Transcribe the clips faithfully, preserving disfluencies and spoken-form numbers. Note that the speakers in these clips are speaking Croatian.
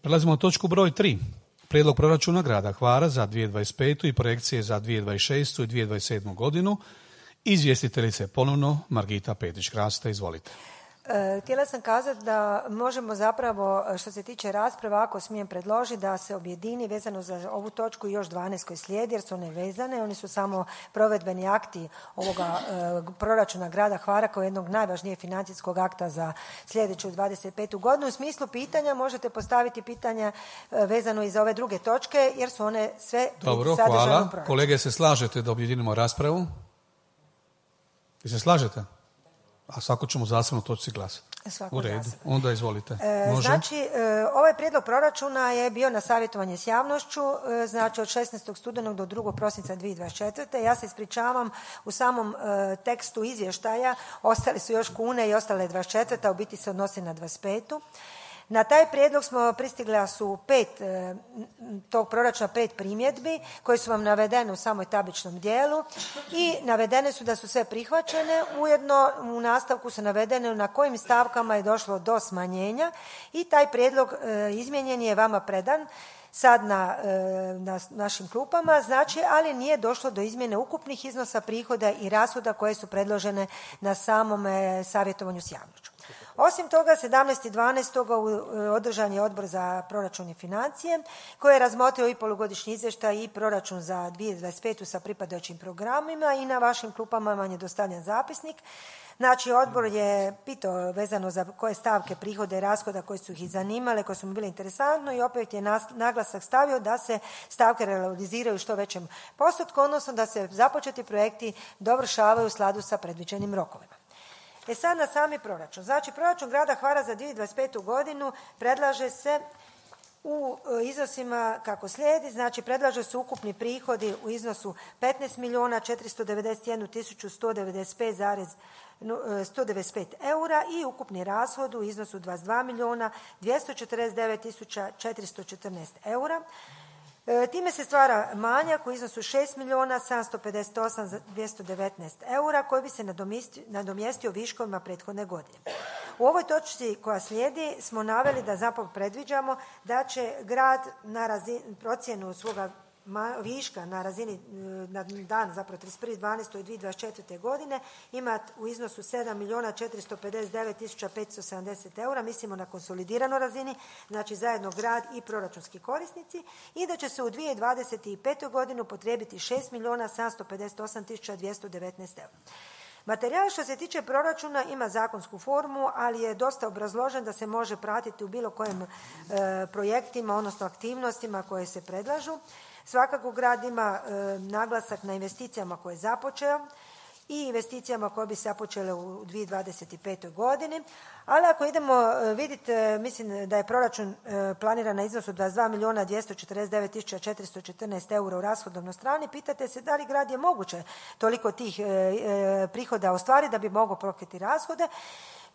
Prelazimo na točku broj tri. Prijedlog proračuna grada Hvara za dvije tisuće dvadeset petu i projekcije za dvije tisuće dvadeset šestu i dvije tisuće dvadeset sedmu godinu. Izvjestiteljice ponovno Margita Petić-Krasta, izvolite. Htjela sam kazati da možemo zapravo, što se tiče rasprava, ako smijem predložiti, da se objedini vezano za ovu točku i još dvanaest koji slijedi, jer su one vezane. Oni su samo provedbeni akti ovoga e, proračuna grada Hvara kao jednog najvažnijeg financijskog akta za sljedeću dvadeset petu godinu. U smislu pitanja možete postaviti pitanja e, vezano i za ove druge točke, jer su one sve Dobro, hvala. Kolege, se slažete da objedinimo raspravu? Vi se slažete? A svako ćemo zasebno točci glasati. U redu, zasebno. Onda izvolite. Može? Znači, e, ovaj prijedlog proračuna je bio na savjetovanje s javnošću, e, znači od šesnaestog studenog do drugog prosinca dvije tisuće dvadeset četvrte. Ja se ispričavam, u samom e, tekstu izvještaja ostale su još kune i ostale dvadeset četvrta, u biti se odnosi na dvadeset petu. Na taj prijedlog smo pristigla su pet, e, tog proračuna pet primjedbi koje su vam navedene u samoj tabličnom dijelu i navedene su da su sve prihvaćene. Ujedno u nastavku su navedene na kojim stavkama je došlo do smanjenja i taj prijedlog e, izmijenjen je vama predan sad na, e, na našim klupama, znači, ali nije došlo do izmjene ukupnih iznosa prihoda i rashoda koje su predložene na samom e, savjetovanju s javnošću. Osim toga, sedamnaestog dvanaestog održan je Odbor za proračun i financije koji je razmotrio i polugodišnji izvještaj i proračun za dvije tisuće dvadeset petu sa pripadajućim programima i na vašim klupama vam je dostavljen zapisnik. Znači, odbor je pitao vezano za koje stavke prihoda i rashoda koje su ih zanimale, koje su mu bile interesantno i opet je naglasak stavio da se stavke realiziraju u što većem postotku, odnosno da se započeti projekti dovršavaju u skladu sa predviđenim rokovima. E sad na sami proračun. Znači, proračun grada Hvara za dvije tisuće dvadeset petu godinu predlaže se u iznosima kako slijedi. Znači, predlaže se ukupni prihodi u iznosu petnaest milijuna četiristo devedeset jednu tisuću sto devedeset pet zarez sto devedeset pet eura i ukupni rashod u iznosu dvadeset dva milijuna dvjesto četrdeset devet tisuća četiristo četrnaest eura. Time se stvara manjak u iznosu šest milijuna sedamsto pedeset osam dvjesto devetnaest eura koji bi se nadomjestio viškovima prethodne godine. U ovoj točci koja slijedi smo naveli da zapravo predviđamo da će grad na razini, procjenu svoga viška na razini na dan zapravo trideset prvi dvanaesti dvije tisuće dvadeset četvrte godine imati u iznosu sedam milijuna četiristo pedeset devet tisuća petsto sedamdeset eura, mislimo na konsolidiranoj razini, znači zajedno grad i proračunski korisnici, i da će se u dvije tisuće dvadeset petoj godinu potrijebiti šest milijuna sedamsto pedeset osam tisuća dvjesto devetnaest eura. Materijal što se tiče proračuna ima zakonsku formu, ali je dosta obrazložen da se može pratiti u bilo kojim e, projektima, odnosno aktivnostima koje se predlažu. Svakako grad ima e, naglasak na investicijama koje je započeo i investicijama koje bi se započele u dvije tisuće dvadeset petoj godini, ali ako idemo e, vidjeti, e, mislim da je proračun e, planiran na iznosu dvadeset dva milijuna dvjesto četrdeset devet tisuća četiristo četrnaest eura u rashodovnoj strani, pitate se da li grad je moguće toliko tih e, e, prihoda ostvariti da bi mogao pokriti rashode.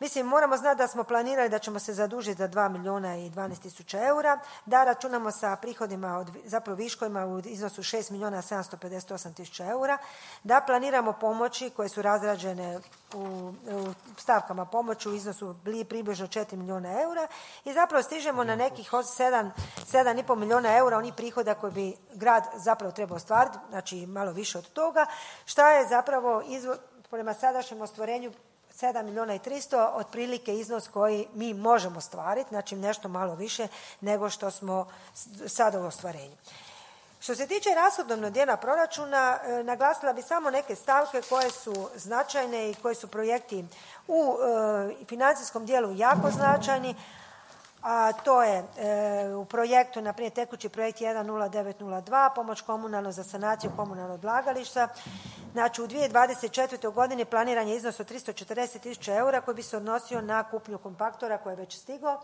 Mislim, moramo znati da smo planirali da ćemo se zadužiti za dva milijuna i dvanaest tisuća eura, da računamo sa prihodima, od, zapravo viškovima u iznosu šest milijuna sedamsto pedeset osam tisuća eura, da planiramo pomoći koje su razrađene u, u stavkama pomoći u iznosu približno četiri milijuna eura i zapravo stižemo na nekih sedam, sedam i pol milijuna eura onih prihoda koje bi grad zapravo trebao ostvariti, znači malo više od toga, šta je zapravo izvo, prema sadašnjem ostvarenju sedam milijuna i tristo, otprilike iznos koji mi možemo ostvariti, znači nešto malo više nego što smo sada u ostvarenju. Što se tiče rashodovnog dijela proračuna, e, naglasila bi samo neke stavke koje su značajne i koji su projekti u e, financijskom dijelu jako značajni, a to je e, u projektu, na primjer tekući projekt jedan nula devet nula dva, pomoć komunalno za sanaciju komunalnog odlagališta. Znači u dvije tisuće dvadeset četvrtoj godini planiran je iznos od tristo četrdeset tisuća eura koji bi se odnosio na kupnju kompaktora koji je već stigao.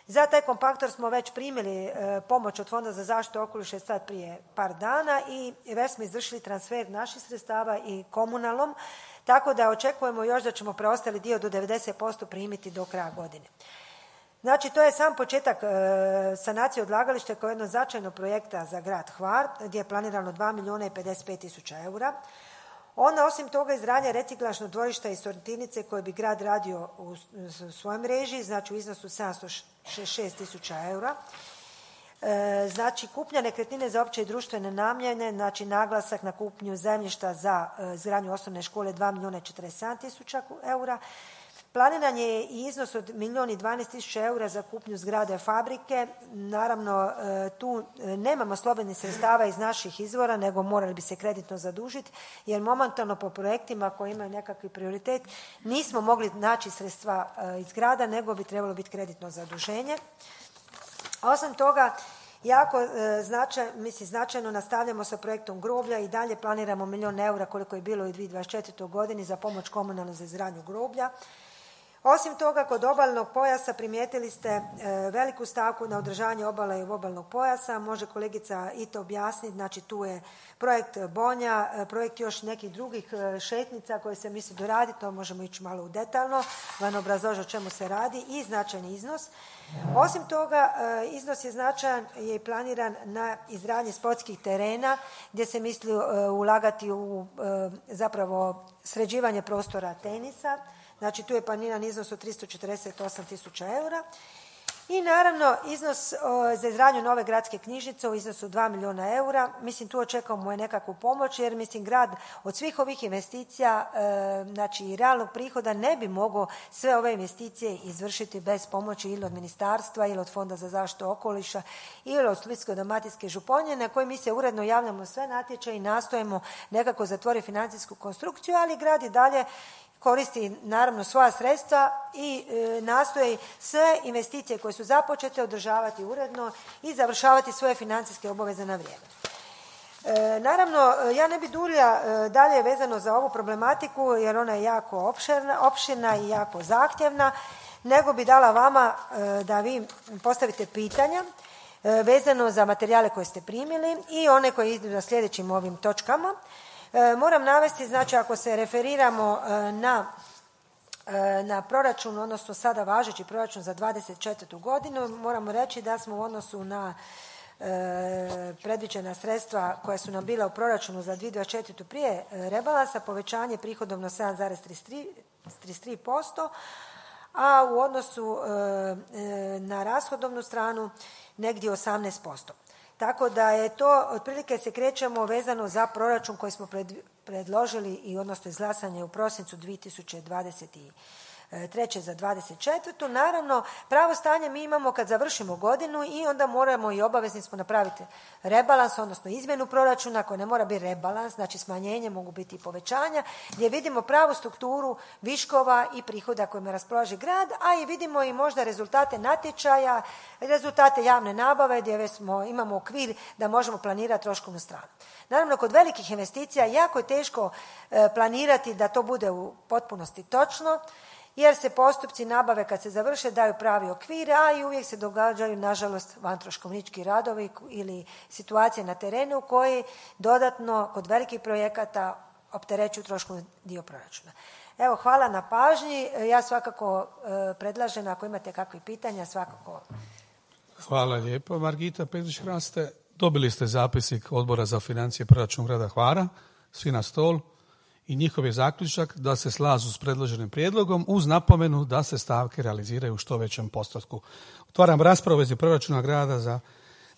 Za taj kompaktor smo već primili e, pomoć od Fonda za zaštitu okoliša sad prije par dana i već smo izvršili transfer naših sredstava i komunalnom, tako da očekujemo još da ćemo preostali dio do devedeset posto primiti do kraja godine. Znači, to je sam početak e, sanacije odlagališta kao jedno značajno projekta za grad Hvar, gdje je planirano dva milijuna i pedeset pet tisuća eura. Ona, osim toga, izgradnja reciklažnog dvorišta i sortirnice koje bi grad radio u svojoj mreži, znači u iznosu sedamsto šezdeset šest tisuća eura. Znači, kupnja nekretnine za opće i društvene namjene, znači naglasak na kupnju zemljišta za izgradnju osnovne škole dva milijuna četrdeset sedam tisuća eura. Planiran je i iznos od milijun i dvanaest tisuća eura za kupnju zgrade fabrike. Naravno, tu nemamo slobodnih sredstava iz naših izvora, nego morali bi se kreditno zadužiti, jer momentalno po projektima koji imaju nekakvi prioritet nismo mogli naći sredstva iz grada, nego bi trebalo biti kreditno zaduženje. Osim toga, jako značaj, mislim, značajno nastavljamo sa projektom groblja i dalje planiramo milijun eura koliko je bilo i u dvije tisuće dvadeset četvrtoj godini za pomoć komunalnu za izgradnju groblja. Osim toga, kod obalnog pojasa primijetili ste veliku stavku na održavanje obale i obalnog pojasa. Može kolegica i to objasniti. Znači, tu je projekt Bonja, projekt još nekih drugih šetnica koje se misli doraditi. To možemo ići malo u detaljno, vam obrazložiti o čemu se radi i značajni iznos. Osim toga, iznos je značajan je planiran na izgradnji sportskih terena gdje se misli ulagati u zapravo sređivanje prostora tenisa. Znači, tu je planiran iznos od tristo četrdeset osam tisuća eura. I naravno, iznos o, za izgradnju nove gradske knjižnice u iznosu dva milijuna eura. Mislim, tu očekujemo je nekakvu pomoć, jer mislim, grad od svih ovih investicija, e, znači i realnog prihoda, ne bi mogao sve ove investicije izvršiti bez pomoći ili od ministarstva, ili od Fonda za zaštitu okoliša, ili od Splitsko-dalmatinske županije, na kojoj mi se uredno javljamo sve natječaje i nastojimo nekako zatvoriti financijsku konstrukciju, ali grad i dalje koristi naravno svoja sredstva i e, nastoji sve investicije koje su započete održavati uredno i završavati svoje financijske obaveze na vrijeme. E, naravno, ja ne bi duljila e, dalje vezano za ovu problematiku, jer ona je jako opširna, opširna i jako zahtjevna, nego bi dala vama e, da vi postavite pitanja e, vezano za materijale koje ste primili i one koje idu na sljedećim ovim točkama. Moram navesti, znači, ako se referiramo na, na proračun, odnosno sada važeći proračun za dvadeset četvrtu godinu, moramo reći da smo u odnosu na e, predviđena sredstva koja su nam bila u proračunu za dvije tisuće dvadeset četvrtu prije rebalansa, povećanje prihodovno sedam zarez trideset tri posto, a u odnosu e, na rashodovnu stranu negdje osamnaest posto. Tako da je to, otprilike se krećemo vezano za proračun koji smo pred, predložili i odnosno izglasanje u prosincu dvije tisuće dvadeset treće za dvadeset četvrtu. Naravno, pravo stanje mi imamo kad završimo godinu i onda moramo i obavezni smo napraviti rebalans, odnosno izmjenu proračuna koja ne mora biti rebalans, znači smanjenje, mogu biti i povećanja, gdje vidimo pravu strukturu viškova i prihoda kojima raspolaže grad, a i vidimo i možda rezultate natječaja, rezultate javne nabave gdje smo, imamo okvir da možemo planirati troškovnu stranu. Naravno, kod velikih investicija jako je teško e, planirati da to bude u potpunosti točno, jer se postupci nabave kad se završe daju pravi okvir, a i uvijek se događaju, nažalost, vantroškovnički radovi ili situacije na terenu koji dodatno kod velikih projekata opterećuju troškovni dio proračuna. Evo, hvala na pažnji. Ja svakako e, predlažem, ako imate kakve pitanja, svakako. Hvala lijepo, Margita Petrić-Hraste. Dobili ste zapisnik Odbora za financije proračun grada Hvara, svi na stol, i njihov je zaključak da se slažu s predloženim prijedlogom uz napomenu da se stavke realiziraju u što većem postotku. Otvaram raspravu vezi proračuna grada za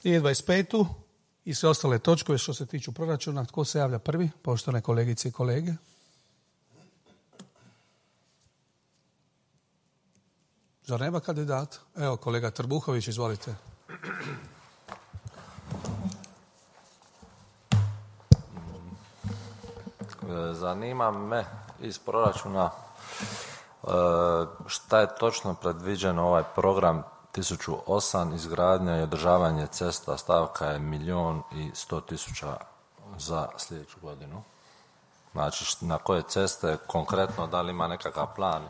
dvije tisuće dvadeset petu i sve ostale točkove što se tiču proračuna. Tko se javlja prvi? Poštovane kolegice i kolege. Zar nema kandidata? Evo, kolega Trbuhović, izvolite. Zanima me iz proračuna šta je točno predviđeno ovaj program tisuću osam, izgradnja i održavanje cesta, stavka je milijun i sto tisuća za sljedeću godinu. Znači, na koje ceste konkretno, da li ima nekakav plan?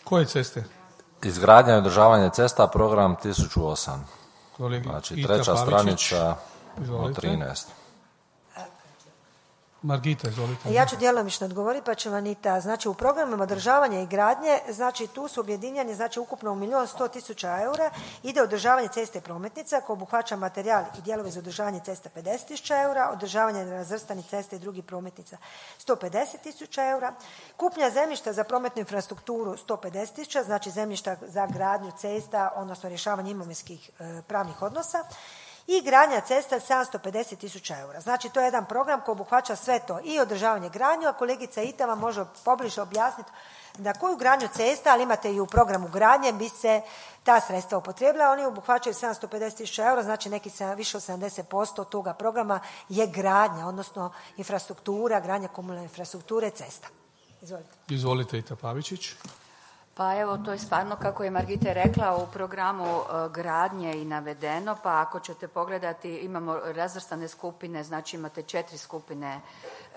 Koje ceste? Izgradnja i održavanje cesta, program tisuću osam. Kolegi Znači, Ita treća Pavičić. stranica Izvolite. od trinaest. Margita, izvolite. Ja ću djelomično odgovoriti, pa će Anita. Znači, u programima održavanja i gradnje, znači tu su objedinjeni, znači ukupno u milijun sto tisuća eura ide održavanje ceste i prometnica koje obuhvaća materijal i dijelovi za održavanje cesta pedeset tisuća eura, održavanje nerazvrstanih cesta i drugih prometnica sto pedeset tisuća eura, kupnja zemljišta za prometnu infrastrukturu sto pedeset tisuća, znači zemljišta za gradnju cesta, odnosno rješavanje imovinskih e, pravnih odnosa, i gradnja cesta sedamsto pedeset tisuća eura. Znači, to je jedan program koji obuhvaća sve to i održavanje gradnju, a kolegica Ita vam može pobliže objasniti na koju gradnju cesta, ali imate i u programu gradnje, bi se ta sredstva upotrijebila. Oni obuhvaćaju sedamsto pedeset tisuća eura, znači neki više od sedamdeset posto toga programa je gradnja, odnosno infrastruktura, gradnja komunalne infrastrukture cesta. Izvolite. Izvolite, Ita Pavičić. Pa evo, to je stvarno, kako je Margita rekla, u programu e, gradnje i navedeno, pa ako ćete pogledati, imamo razvrstane skupine, znači imate četiri skupine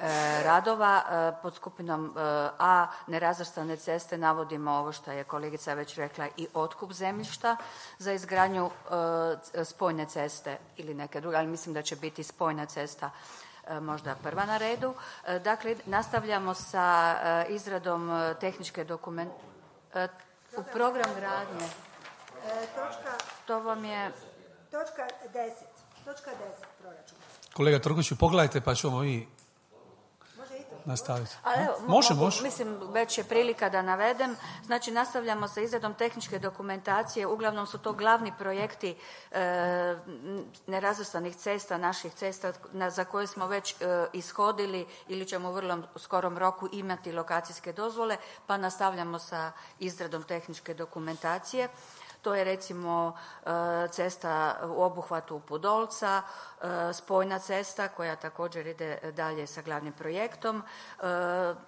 e, radova. E, pod skupinom e, A, nerazvrstane ceste, navodimo ovo što je kolegica već rekla, i otkup zemljišta za izgradnju e, spojne ceste ili neke druge, ali mislim da će biti spojna cesta možda prva na redu. E, dakle, nastavljamo sa e, izradom tehničke dokumentacije. U program gradnje. E, točka, to vam je... Točka deset. Točka deset proračuna. Kolega Trkoviću, pogledajte pa ćemo i Može i to nastaviti. Ali evo, može, mogu, može. Mislim, već je prilika da navedem. Znači, nastavljamo sa izradom tehničke dokumentacije. Uglavnom su to glavni projekti e, nerazvrstanih cesta, naših cesta na, za koje smo već e, ishodili ili ćemo u vrlo skorom roku imati lokacijske dozvole, pa nastavljamo sa izradom tehničke dokumentacije. To je recimo cesta u obuhvatu Pudolca, spojna cesta koja također ide dalje sa glavnim projektom,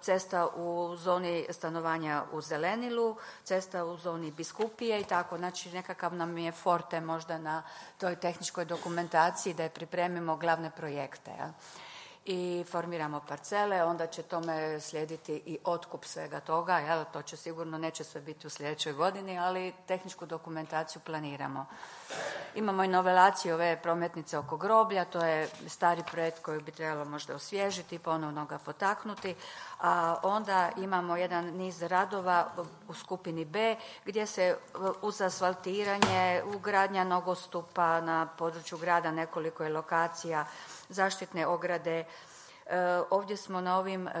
cesta u zoni stanovanja u Zelenilu, cesta u zoni Biskupije i tako. Znači, nekakav nam je forte možda na toj tehničkoj dokumentaciji da je pripremimo glavne projekte. Ja. I formiramo parcele, onda će tome slijediti i otkup svega toga, jel? To će sigurno, neće sve biti u sljedećoj godini, ali tehničku dokumentaciju planiramo. Imamo i novelaciju ove prometnice oko groblja, to je stari projekt koji bi trebalo možda osvježiti, ponovno ga potaknuti, a onda imamo jedan niz radova u skupini B gdje se uz asfaltiranje, ugradnja nogostupa na području grada, nekoliko je lokacija, zaštitne ograde. E, ovdje smo na ovim e,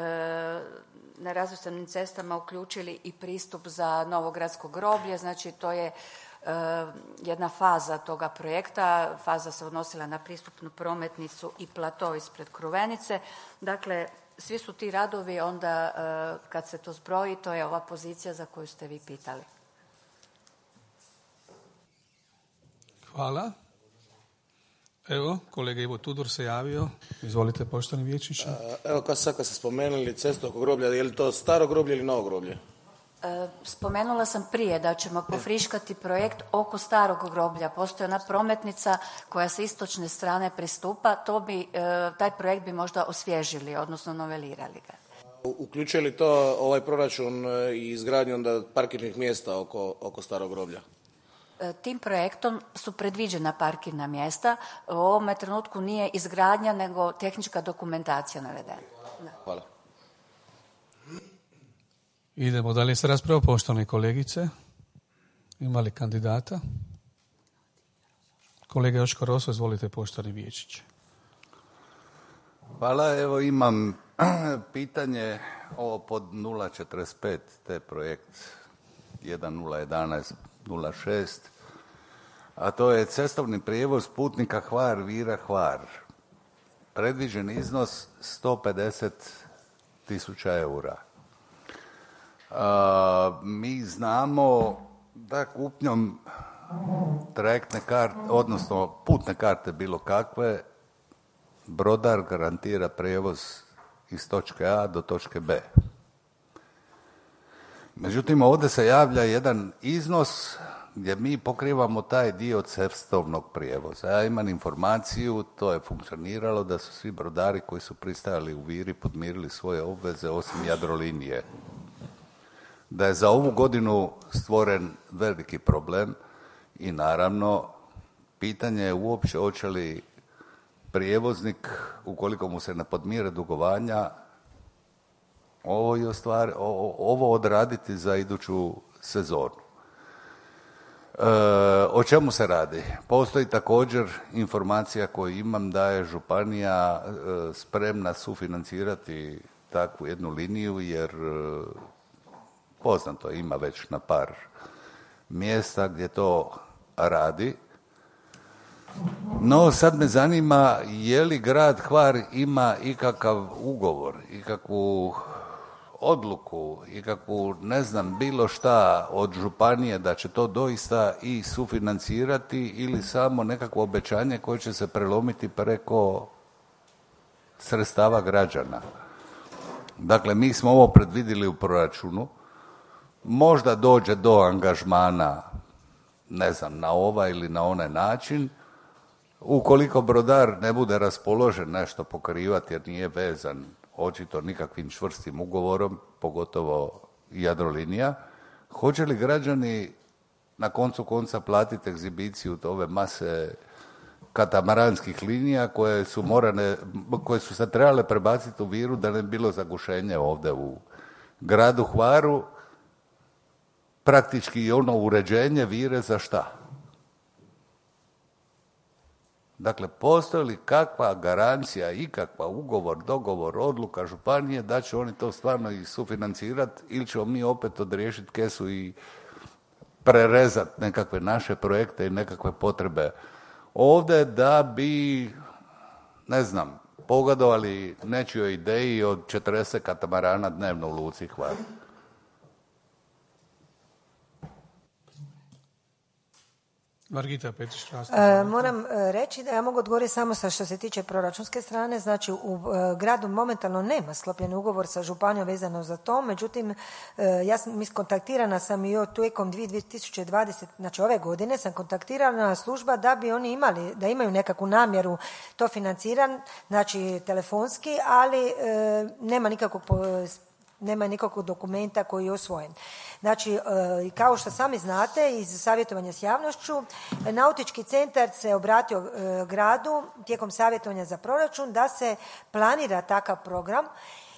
nerazvrstanim cestama uključili i pristup za Novogradsko groblje, znači to je e, jedna faza toga projekta. Faza se odnosila na pristupnu prometnicu i plato ispred Kruvenice. Dakle, svi su ti radovi onda, e, kad se to zbroji, to je ova pozicija za koju ste vi pitali. Hvala. Evo, kolega Ivo Tudor se javio. Izvolite, poštovani vijećniče. Evo, kad sad kad ste spomenuli cestu oko groblja, je li to staro groblje ili novo groblje? E, spomenula sam prije da ćemo pofriškati projekt oko starog groblja. Postoji ona prometnica koja sa istočne strane pristupa. To bi, e, taj projekt bi možda osvježili, odnosno novelirali ga. Uključuje li to ovaj proračun i izgradnju onda parkirnih mjesta oko, oko starog groblja? Tim projektom su predviđena parkirna mjesta. U ovome trenutku nije izgradnja, nego tehnička dokumentacija navedena. Hvala. Idemo dalje sa raspravom, poštovane kolegice. Ima li kandidata? Kolega Joško Roso, izvolite, poštovani vijećniče. Hvala, evo imam pitanje ovo pod nula četrdeset pet, te projekt jedan nula jedanaest nula šest, a to je cestovni prijevoz putnika Hvar, Vira, Hvar. Predviđen iznos sto pedeset tisuća eura. A, mi znamo da kupnjom trajektne karte, odnosno putne karte bilo kakve, brodar garantira prijevoz iz točke A do točke B. Međutim, ovdje se javlja jedan iznos gdje mi pokrivamo taj dio cestovnog prijevoza. Ja imam informaciju, to je funkcioniralo, da su svi brodari koji su pristajali u Viri podmirili svoje obveze osim Jadrolinije. Da je za ovu godinu stvoren veliki problem i naravno pitanje je uopće hoće li prijevoznik, ukoliko mu se ne podmire dugovanja, ovo, je stvar, ovo odraditi za iduću sezonu. E, o čemu se radi? Postoji također informacija koju imam da je županija e, spremna sufinancirati takvu jednu liniju, jer e, poznato ima već na par mjesta gdje to radi. No, sad me zanima je li grad Hvar ima ikakav ugovor, ikakvu odluku, ikakvu, ne znam, bilo šta od županije da će to doista i sufinancirati ili samo nekakvo obećanje koje će se prelomiti preko sredstava građana. Dakle, mi smo ovo predvidjeli u proračunu, možda dođe do angažmana, ne znam, na ovaj ili na onaj način. Ukoliko brodar ne bude raspoložen nešto pokrivati jer nije vezan očito nikakvim čvrstim ugovorom, pogotovo Jadrolinija, hoće li građani na koncu konca platiti egzibiciju ove mase katamaranskih linija koje su morane, koje su se trebale prebaciti u Viru da ne bi bilo zagušenje ovdje u gradu Hvaru, praktički i ono uređenje Vire za šta? Dakle, postoji li kakva garancija, ikakva ugovor, dogovor, odluka županije da će oni to stvarno i sufinancirati ili ćemo mi opet odriješiti kesu i prerezati nekakve naše projekte i nekakve potrebe ovdje da bi, ne znam, pogodovali nečijoj ideji od četrdeset katamarana dnevno u luci Hvar. Margita Petrić. E, moram reći da ja mogu odgovoriti samo sa što se tiče proračunske strane. Znači, u e, gradu momentalno nema sklopljen ugovor sa županijom vezano za to. Međutim, e, ja sam iskontaktirana sam i tijekom dvije tisuće dvadesete, znači ove godine sam kontaktirana služba da bi oni imali, da imaju nekakvu namjeru to financiran, znači telefonski, ali e, nema nikakvog nema nikakvog dokumenta koji je usvojen. Znači, kao što sami znate iz savjetovanja s javnošću, Nautički centar se obratio gradu tijekom savjetovanja za proračun da se planira takav program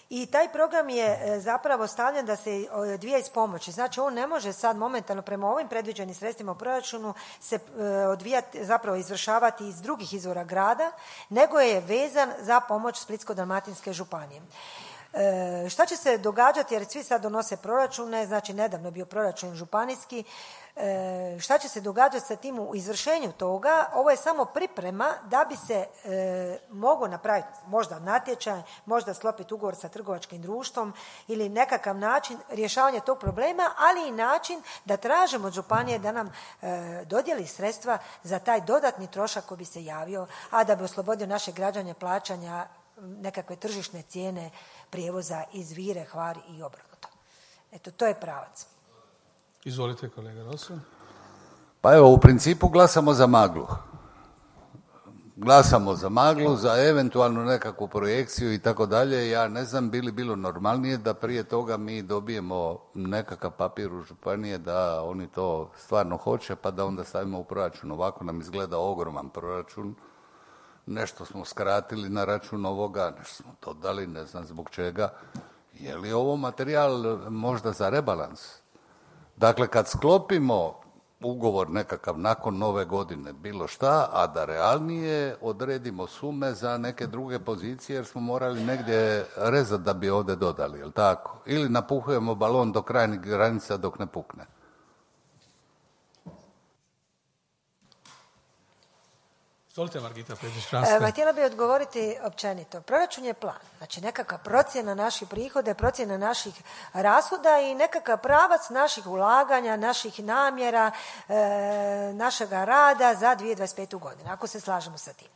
i taj program je zapravo stavljen da se odvija iz pomoći. Znači, on ne može sad momentalno prema ovim predviđenim sredstvima u proračunu se odvijati, zapravo izvršavati iz drugih izvora grada, nego je vezan za pomoć Splitsko-dalmatinske županije. E, šta će se događati, jer svi sad donose proračune, znači nedavno je bio proračun županijski, e, šta će se događati sa tim u izvršenju toga? Ovo je samo priprema da bi se e, moglo napraviti možda natječaj, možda sklopiti ugovor sa trgovačkim društvom ili nekakav način rješavanja tog problema, ali i način da tražimo od županije da nam e, dodijeli sredstva za taj dodatni trošak koji bi se javio, a da bi oslobodio naše građane plaćanja nekakve tržišne cijene prijevoza iz Vire, Hvar i obrnuto. Eto, to je pravac. Izvolite, kolega Rosso. Pa evo, u principu glasamo za maglu. Glasamo za maglu, za eventualnu nekakvu projekciju i tako dalje. Ja ne znam, bi li bilo normalnije da prije toga mi dobijemo nekakav papir u županije da oni to stvarno hoće, pa da onda stavimo u proračun. Ovako nam izgleda ogroman proračun. Nešto smo skratili na račun ovoga, nešto smo to dali, ne znam zbog čega. Je li ovo materijal možda za rebalans? Dakle, kad sklopimo ugovor nekakav nakon nove godine, bilo šta, a da realnije odredimo sume za neke druge pozicije, jer smo morali negdje rezati da bi ovdje dodali, jel tako? Ili napuhujemo balon do krajnjih granica dok ne pukne. Margita e, htjela bih odgovoriti općenito. Proračun je plan, znači nekakva procjena naših prihoda, procjena naših rashoda i nekakav pravac naših ulaganja, naših namjera, e, našega rada za dvije tisuće dvadeset petu godinu, ako se slažemo sa tim.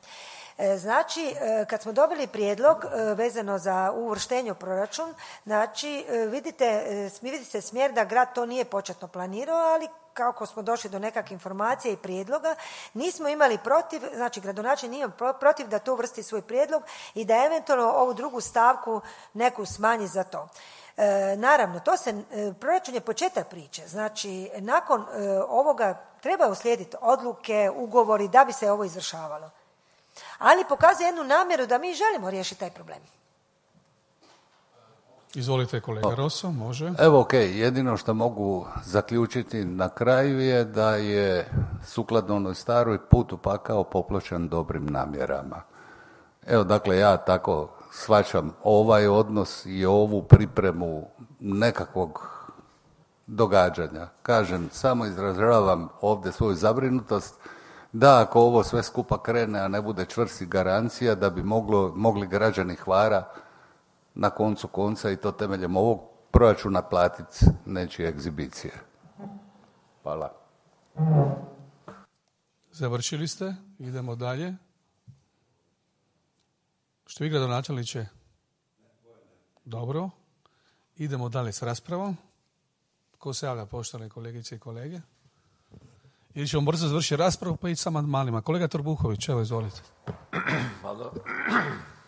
Znači, kad smo dobili prijedlog vezano za uvrštenje u proračun, znači vidite, vidi se smjer da grad to nije početno planirao, ali kako smo došli do nekakve informacije i prijedloga, nismo imali protiv, znači gradonačelnik nije protiv da to uvrsti svoj prijedlog i da eventualno ovu drugu stavku neku smanji za to. E, naravno, to se, e, proračun je početak priče, znači nakon e, ovoga treba uslijediti odluke, ugovori da bi se ovo izvršavalo. ali pokazuje jednu namjeru da mi želimo riješiti taj problem. Izvolite kolega Rosso, može. Evo ok, jedino što mogu zaključiti na kraju je da je sukladno onoj staroj put u pakao popločan dobrim namjerama. Evo dakle ja tako shvaćam ovaj odnos i ovu pripremu nekakvog događanja. Kažem, samo izražavam ovdje svoju zabrinutost da ako ovo sve skupa krene, a ne bude čvrsti garancija da bi moglo, mogli građani Hvara na koncu konca i to temeljem ovog proračuna platiti nečije egzibicije. Hvala. Završili ste, idemo dalje. Što vi gradonačelniče? Dobro. Idemo dalje s raspravom. Ko se javlja, poštovane kolegice i kolege? Ili ćemo brzo završiti raspravu pa ići sa amandmanima. Kolega Trbuhović, evo izvolite.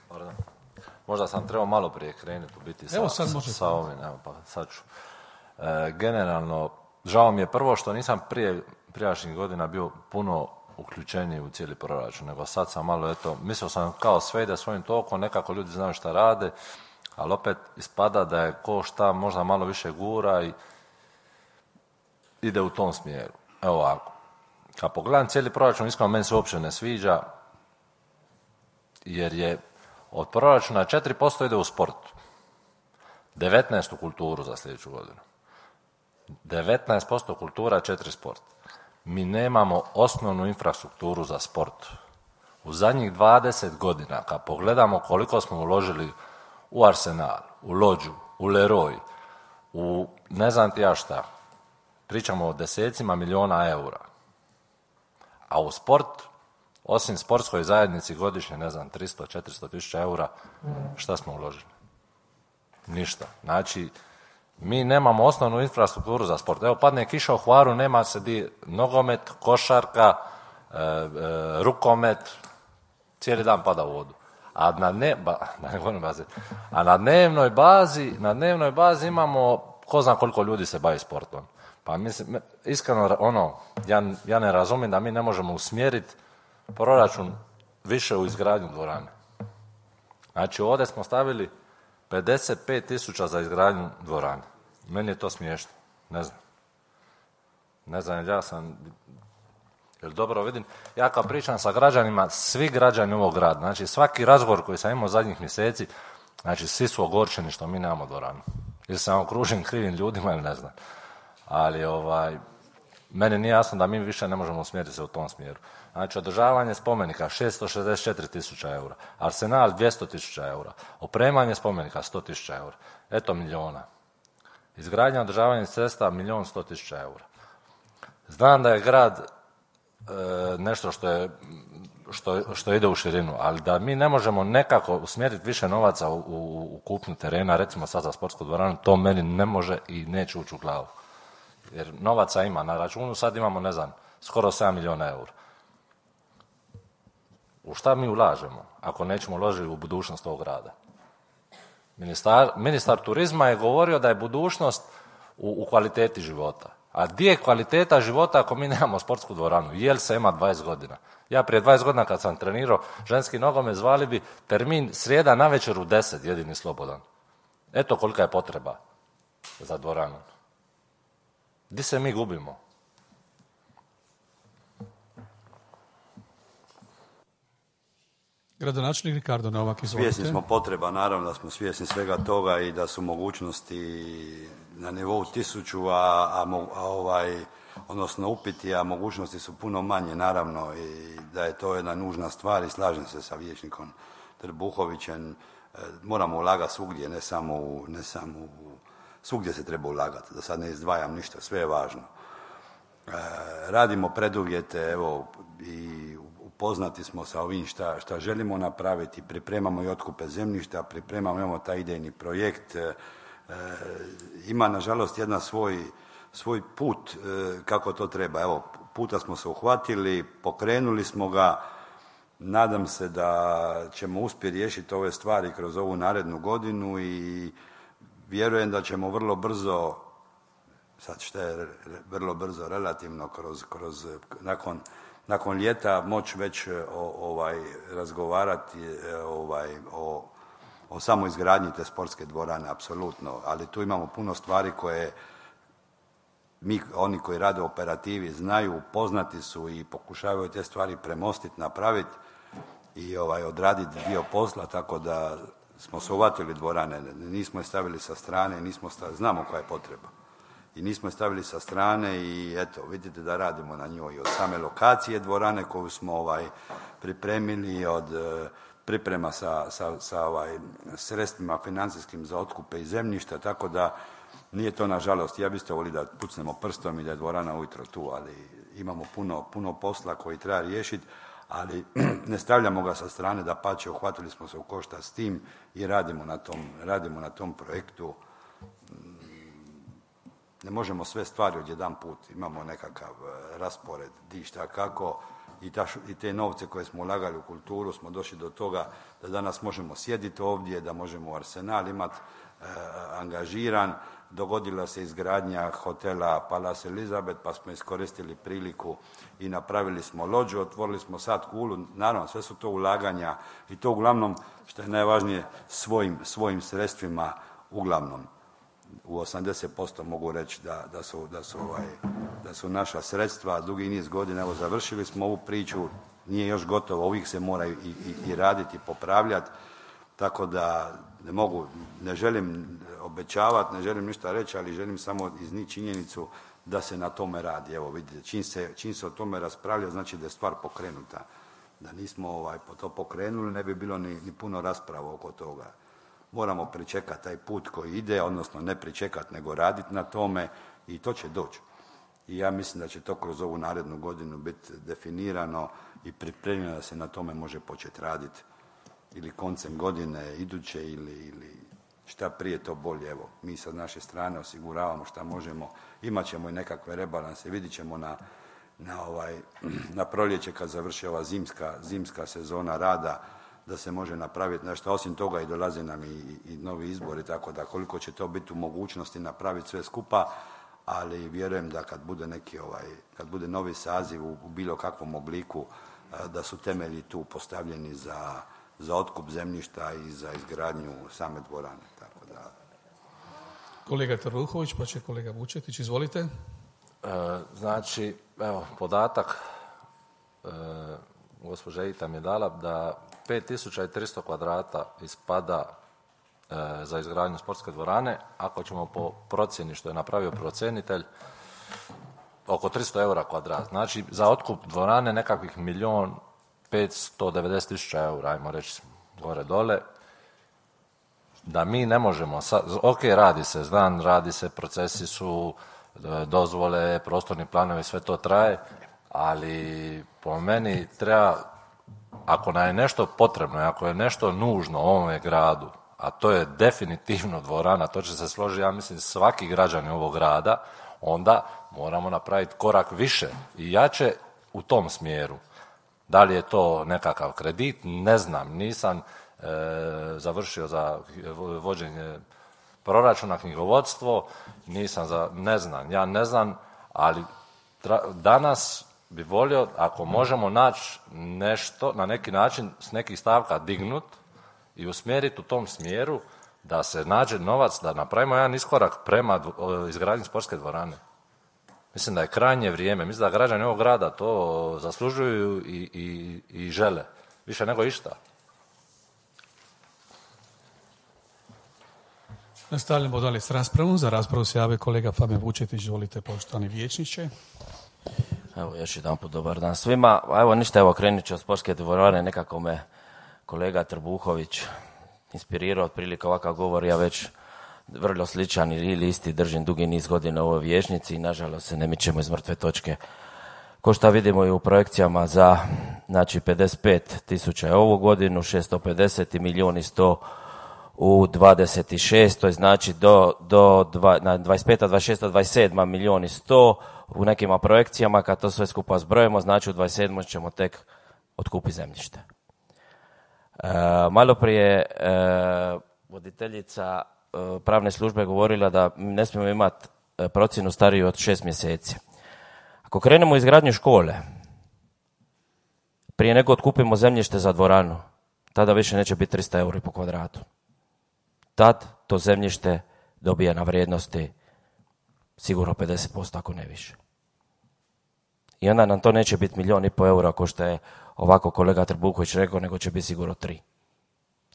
Pardon. Možda sam trebao malo prije krenuti u biti sa, evo sad sa, možete. sa ovim, evo pa sad ću. E, generalno, žao mi je prvo što nisam prije prijašnjih godina bio puno uključeniji u cijeli proračun, nego sad sam malo, eto, mislio sam kao sve ide svojim tokom, nekako ljudi znaju šta rade, ali opet ispada da je ko šta možda malo više gura i ide u tom smjeru. Evo ovako, kad pogledam cijeli proračun, iskreno meni se uopće ne sviđa, jer je od proračuna četiri posto ide u sport, devetnaest posto u kulturu za sljedeću godinu, devetnaest posto kultura, četiri posto sport. Mi nemamo osnovnu infrastrukturu za sport. U zadnjih dvadeset godina, kad pogledamo koliko smo uložili u Arsenal, u Lodžu, u Leroy, u ne znam ti ja šta, pričamo o desecima miliona eura. A u sport, osim sportskoj zajednici godišnje, ne znam, tristo do četiristo tisuća eura, šta smo uložili? Ništa. Znači, mi nemamo osnovnu infrastrukturu za sport. Evo, padne kiša u Hvaru, nema se di nogomet, košarka, e, e, rukomet, cijeli dan pada u vodu. A na, ne, ba, ne bazi, a na dnevnoj bazi, na dnevnoj bazi imamo ko zna koliko ljudi se bavi sportom. Pa mislim, iskreno, ono, ja, ja ne razumijem da mi ne možemo usmjeriti proračun više u izgradnju dvorane. Znači, ovdje smo stavili pedeset pet tisuća za izgradnju dvorane. Meni je to smiješno. Ne znam. Ne znam, jer ja sam... Jer dobro vidim, ja kad pričam sa građanima, svi građani ovog grada, znači svaki razgovor koji sam imao zadnjih mjeseci, znači svi su ogorčeni što mi nemamo dvoranu. Ili sam okružen krivim ljudima ili ne znam. Ali ovaj, meni nije jasno da mi više ne možemo usmjeriti se u tom smjeru. Znači, održavanje spomenika šesto šezdeset četiri tisuća eura, Arsenal dvjesto tisuća eura, opremanje spomenika sto tisuća eura, eto milijuna. Izgradnja održavanja cesta milijon sto tisuća eura. Znam da je grad e, nešto što, je, što, što ide u širinu, ali da mi ne možemo nekako usmjeriti više novaca u, u, u kupnju terena, recimo sad za sportsku dvoranu, to meni ne može i neće ući u glavu. Jer novaca ima na računu, sad imamo, ne znam, skoro sedam milijuna eura. U šta mi ulažemo ako nećemo uložiti u budućnost ovog grada? Ministar, ministar turizma je govorio da je budućnost u, u kvaliteti života. A gdje je kvaliteta života ako mi nemamo sportsku dvoranu? Jel se ima dvadeset godina? Ja prije dvadeset godina kad sam trenirao ženski nogomet, zvali bi termin srijeda navečer u deset, jedini slobodan. Eto kolika je potreba za dvoranu. Gdje se mi gubimo? Gradonačelnik Ricardo Novak, izvolite. Svjesni smo potreba, naravno da smo svjesni svega toga i da su mogućnosti na nivou tisuću, a, a, a ovaj, odnosno upiti, a mogućnosti su puno manje, naravno, i da je to jedna nužna stvar i slažem se sa vijećnikom Trbuhovićem. Moramo ulagati svugdje, ne samo u, ne samo u, svugdje se treba ulagati, da sad ne izdvajam ništa, sve je važno. E, radimo preduvjete, evo, i upoznati smo sa ovim šta, šta želimo napraviti, pripremamo i otkupe zemljišta, pripremamo, imamo taj idejni projekt, e, ima nažalost jedan svoj, svoj put e, kako to treba. Evo, puta smo se uhvatili, pokrenuli smo ga, nadam se da ćemo uspjeti riješiti ove stvari kroz ovu narednu godinu i vjerujem da ćemo vrlo brzo, sad što je vrlo brzo relativno, kroz, kroz, nakon nakon ljeta moći već o, ovaj, razgovarati ovaj, o, o samoj izgradnji te sportske dvorane, apsolutno. Ali tu imamo puno stvari koje mi, oni koji rade u operativi, znaju, poznati su i pokušavaju te stvari premostiti, napraviti i ovaj, odraditi dio posla, tako da smo se uvatili dvorane, nismo je stavili sa strane, nismo stavili, znamo koja je potreba. I nismo je stavili sa strane i eto, vidite da radimo na njoj od same lokacije dvorane koju smo ovaj, pripremili, od e, priprema sa, sa, sa ovaj, sredstvima financijskim za otkupe i zemljišta, tako da nije to nažalost, ja biste volili da pucnemo prstom i da je dvorana ujutro tu, ali imamo puno, puno posla koji treba riješiti, ali ne stavljamo ga sa strane, da pače, uhvatili smo se u koštac s tim i radimo na tom, radimo na tom projektu. Ne možemo sve stvari odjedan put, imamo nekakav raspored, di šta kako i, ta, i te novce koje smo ulagali u kulturu smo došli do toga da danas možemo sjediti ovdje, da možemo Arsenal imati e, angažiran. Dogodila se izgradnja hotela Palace Elizabeth, pa smo iskoristili priliku i napravili smo lođu, otvorili smo sad kulu. Naravno, sve su to ulaganja i to uglavnom, što je najvažnije, svojim, svojim sredstvima, uglavnom. U osamdeset posto mogu reći da, da, su, da, su, ovaj, da su naša sredstva, dugi niz godina, evo završili smo ovu priču, nije još gotovo, uvijek se mora i, i, i raditi, i popravljati, tako da ne mogu, ne želim obećavati, ne želim ništa reći, ali želim samo iznijeti činjenicu da se na tome radi. Evo vidite, čim se, čim se o tome raspravlja, znači da je stvar pokrenuta. Da nismo ovaj, to pokrenuli, ne bi bilo ni, ni puno rasprava oko toga. Moramo pričekati taj put koji ide, odnosno ne pričekati, nego raditi na tome i to će doći. I ja mislim da će to kroz ovu narednu godinu biti definirano i pripremljeno da se na tome može početi raditi. Ili koncem godine, iduće, ili, ili šta prije to bolje. Evo, mi sa naše strane osiguravamo šta možemo. Imat ćemo i nekakve rebalanse, vidit ćemo na, na, ovaj, na proljeće kad završi ova zimska, zimska sezona rada, da se može napraviti nešto. Osim toga i dolaze nam i, i, i novi izbori, tako da koliko će to biti u mogućnosti napraviti sve skupa, ali vjerujem da kad bude neki ovaj, kad bude novi saziv u, u bilo kakvom obliku, da su temelji tu postavljeni za, za otkup zemljišta i za izgradnju same dvorane. Tako da... Kolega Trbuhović, pa će kolega Vučetić, izvolite. E, znači, evo, podatak, e, gospođa Ita mi je dala da pet tisuća tristo kvadrata ispada e, za izgradnju sportske dvorane, ako ćemo po procjeni što je napravio procenitelj, oko tristo eura kvadrat. Znači, za otkup dvorane nekakvih milijon petsto devedeset tisuća eura, ajmo reći, gore dole, da mi ne možemo, sa, ok, radi se, znam, radi se, procesi su, dozvole, prostorni planovi, sve to traje, ali po meni treba, ako nam je nešto potrebno, ako je nešto nužno u ovome gradu, a to je definitivno dvorana, to će se složiti, ja mislim, svaki građanin ovog grada, onda moramo napraviti korak više i jače u tom smjeru. Da li je to nekakav kredit, ne znam, nisam e, završio za vođenje proračuna, knjigovodstvo, nisam za, ne znam, ja ne znam, ali tra, danas bi volio, ako možemo naći nešto, na neki način s nekih stavka dignut i usmjeriti u tom smjeru da se nađe novac, da napravimo jedan iskorak prema izgradnji sportske dvorane. Mislim da je krajnje vrijeme, mislim da građani ovog grada to zaslužuju i, i, i žele, više nego išta. Nastavljamo dalje s raspravom. Za raspravu se jave kolega Fabijan Vučetić, izvolite, poštovani vijećniče. Evo, još jedan put dobar dan svima. Evo, ništa, evo, krenut ću od sportske dvorane, nekako me kolega Trbuhović inspirirao, otprilike ovakav govor, ja već vrlo sličan ili isti držim dugi niz godina u ovoj vijećnici i nažalost se ne mičemo iz mrtve točke. Ko što vidimo i u projekcijama za, znači, pedeset pet tisuća ovu godinu, šesto pedeset milijuna i sto u dvadeset šest, to je znači do, do dva, na dvadeset peta, dvadeset šesta, dvadeset sedma milijuna i sto u nekima projekcijama, kad to sve skupa zbrojimo, znači u dvadeset sedmoj ćemo tek otkupiti zemljište. E, malo prije e, voditeljica e, pravne službe govorila da ne smijemo imati procjenu stariju od šest mjeseci. Ako krenemo u izgradnju škole, prije nego otkupimo zemljište za dvoranu, tada više neće biti tristo eura po kvadratu. Tad to zemljište dobija na vrijednosti sigurno pedeset posto, ako ne više. I onda nam to neće biti milijun i po eura, ko što je ovako kolega Trbuković rekao, nego će biti sigurno tri.